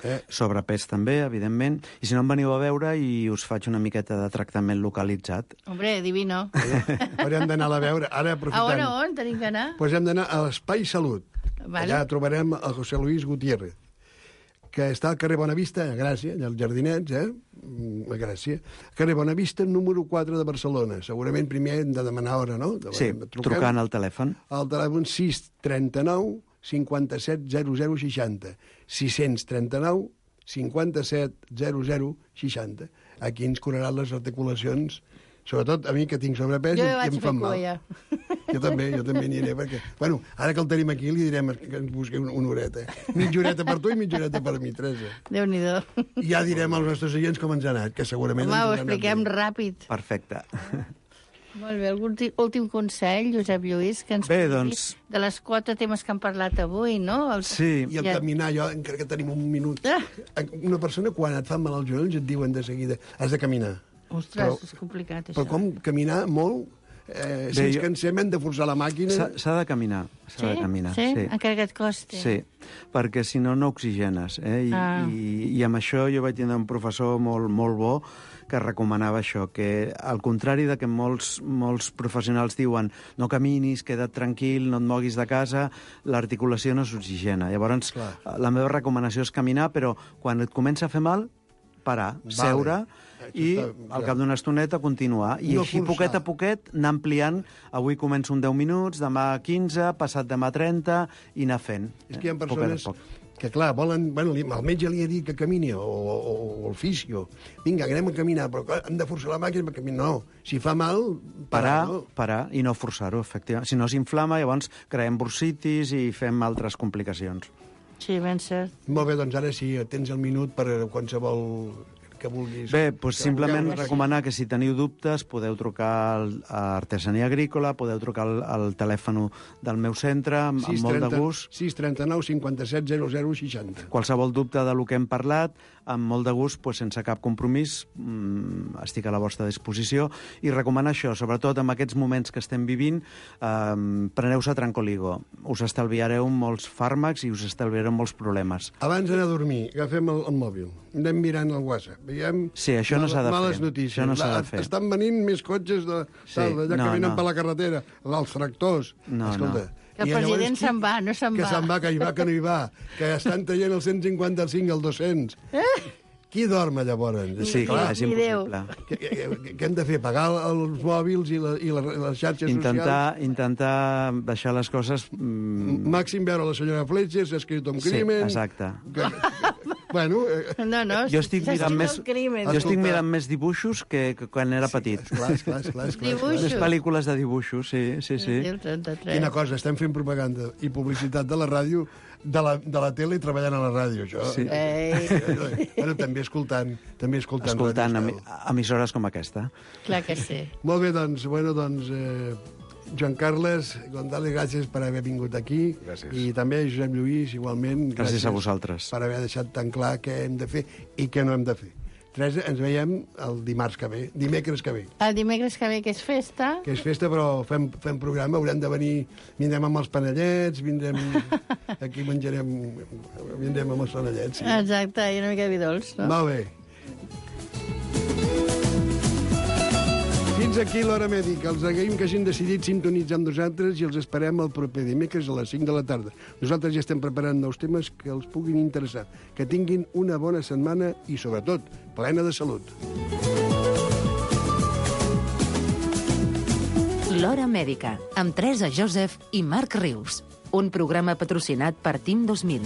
S5: Eh?
S7: Sobrepès també, evidentment. I si no em veniu a veure i us faig una miqueta de tractament localitzat.
S6: Hombre, divino.
S5: Ara hem d'anar a veure. Ara aprofitem.
S6: A on, on tenim que anar?
S5: Pues hem d'anar a l'Espai Salut.
S6: Vale.
S5: Allà trobarem el José Luis Gutiérrez, que està al carrer Bonavista, a Gràcia, allà als Jardinets, eh? a Gràcia. Carrer Bonavista, número quatre de Barcelona. Segurament primer hem de demanar hora, no? De
S7: sí, truquem, trucant al telèfon.
S5: Al telèfon sis trenta-nou cinquanta-set zero zero seixanta. sis trenta-nou cinquanta-set zero zero seixanta. Aquí ens curaran les articulacions, sobretot a mi que tinc sobrepès
S6: jo
S5: i em fan mal.
S6: Ja.
S5: Jo també, jo també n'hi aniré, perquè... Bueno, ara que el tenim aquí li direm que ens busqui una, una horeta. Mitja horeta per tu i mitja horeta per mi, Teresa.
S6: Déu-n'hi-do.
S5: I ja direm als nostres oients com ens ha anat, que segurament...
S6: Home, ho
S5: ens
S6: expliquem ràpid.
S7: Perfecte.
S6: Molt bé, algun últim consell, Josep Lluís, que ens
S7: bé, doncs...
S6: de les quatre temes que han parlat avui, no? El...
S7: Sí.
S5: I el ja... caminar, jo, encara que tenim un minut... Ah. Una persona, quan et fan mal als genolls, et diuen de seguida, has de caminar.
S6: Ostres, però, és complicat, això.
S5: Però com caminar molt... Eh, si ens jo... cansem, hem de forçar la màquina...
S7: S'ha de caminar, s'ha
S6: sí?
S7: de caminar.
S6: Sí?
S7: sí,
S6: encara que et costi.
S7: Sí, perquè si no, no oxigenes. Eh? I, ah. i, I amb això jo vaig tindre un professor molt, molt bo que recomanava això, que al contrari de que molts, molts professionals diuen no caminis, queda't tranquil, no et moguis de casa, l'articulació no s'oxigena. Llavors, clar, la meva recomanació és caminar, però quan et comença a fer mal, parar, vale. seure i al cap d'una estoneta continuar. I no així, forçar. Poquet a poquet, anar ampliant. Avui començo un deu minuts, demà quinze, passat demà trenta, i anar fent.
S5: És que hi ha persones que, clar, volen... Bueno, el metge li ha dit que camini, o, o, o el fisio. Vinga, anem a caminar, però clar, hem de forçar la màquina per caminar. No, si fa mal, parar,
S7: parar,
S5: no?
S7: Parar i no forçar-ho, efectivament. Si no s'inflama, llavors creem bursitis i fem altres complicacions.
S6: Sí, ben cert.
S5: Molt bé, doncs ara sí, tens el minut per qualsevol que vulguis.
S7: Bé, doncs simplement recomanar que si teniu dubtes podeu trucar al, a Artesania Agrícola, podeu trucar al, al telèfon del meu centre, amb, amb molt de gust.
S5: sis trenta-nou cinquanta-set zero zero seixanta.
S7: Qualsevol dubte de lo que hem parlat, amb molt de gust, doncs, sense cap compromís, mmm, estic a la vostra disposició. I recomanar això, sobretot en aquests moments que estem vivint, eh, preneu-se Trancoligo. Us estalviareu molts fàrmacs i us estalviareu molts problemes.
S5: Abans d'anar a dormir, agafem el, el mòbil, anem mirant el WhatsApp, veiem
S7: sí, això no s'ha de
S5: males
S7: fer.
S5: notícies.
S7: Això no s'ha de fer.
S5: Estan venint més cotxes de,
S7: sí,
S5: d'allà
S7: no,
S5: que venen
S7: no.
S5: per la carretera, els tractors.
S7: No,
S5: Escolta,
S7: no.
S6: Que el president se'n va, no se'n va.
S5: Que se'n va, que hi va, que no hi va. Que estan traient el cent cinquanta-cinc al dos-cents. Eh? Qui dorm, llavors?
S7: Sí, clar, és impossible.
S5: Què, què, què hem de fer? Pagar els mòbils i, la, i la, les xarxes
S7: intentar,
S5: socials?
S7: Intentar deixar les coses...
S5: Mm... Màxim veure la senyora Fletcher, s'ha escrit un
S7: sí,
S5: crimen...
S7: exacte.
S5: Que, Bueno,
S6: no, no,
S7: jo estic mirant més,
S6: crimen.
S7: jo estic mirant més dibuixos que, que quan era
S5: sí,
S7: petit.
S5: Esclar, esclar, esclar, esclar,
S6: Dibuixos.
S7: Les pel·lícules de dibuixos, sí, sí, sí.
S6: El trenta-tres.
S5: Quina cosa, estem fent propaganda i publicitat de la ràdio, de la, de la tele i treballant a la ràdio, això.
S7: Sí.
S6: Ei.
S5: Bueno, també escoltant, també escoltant,
S7: Escoltant
S5: Ràdio
S7: em,
S5: Estel.
S7: emissores com aquesta.
S6: Clar que sí.
S5: Molt bé, doncs, bueno, doncs, eh, Joan Carles González, gràcies per haver vingut aquí.
S8: Gràcies.
S5: I també Josep Lluís, igualment.
S7: Gràcies, gràcies a vosaltres.
S5: Per haver deixat tan clar què hem de fer i què no hem de fer. Teresa, ens veiem el dimarts que ve, dimecres que ve.
S6: El dimecres que ve, que és festa.
S5: Que és festa, però fem, fem programa, haurem de venir, vindrem amb els panellets, vindrem... Aquí menjarem... Vindrem amb els panellets, sí.
S6: Exacte, i una mica de vi dolç, no?
S5: Molt bé. Fins aquí l'Hora Mèdica. Els agraïm que hagin decidit sintonitzar amb nosaltres i els esperem el proper dimecres a les cinc de la tarda. Nosaltres ja estem preparant nous temes que els puguin interessar. Que tinguin una bona setmana i, sobretot, plena de salut.
S4: L'Hora Mèdica, amb Teresa Joseph i Marc Rius. Un programa patrocinat per Team dos mil.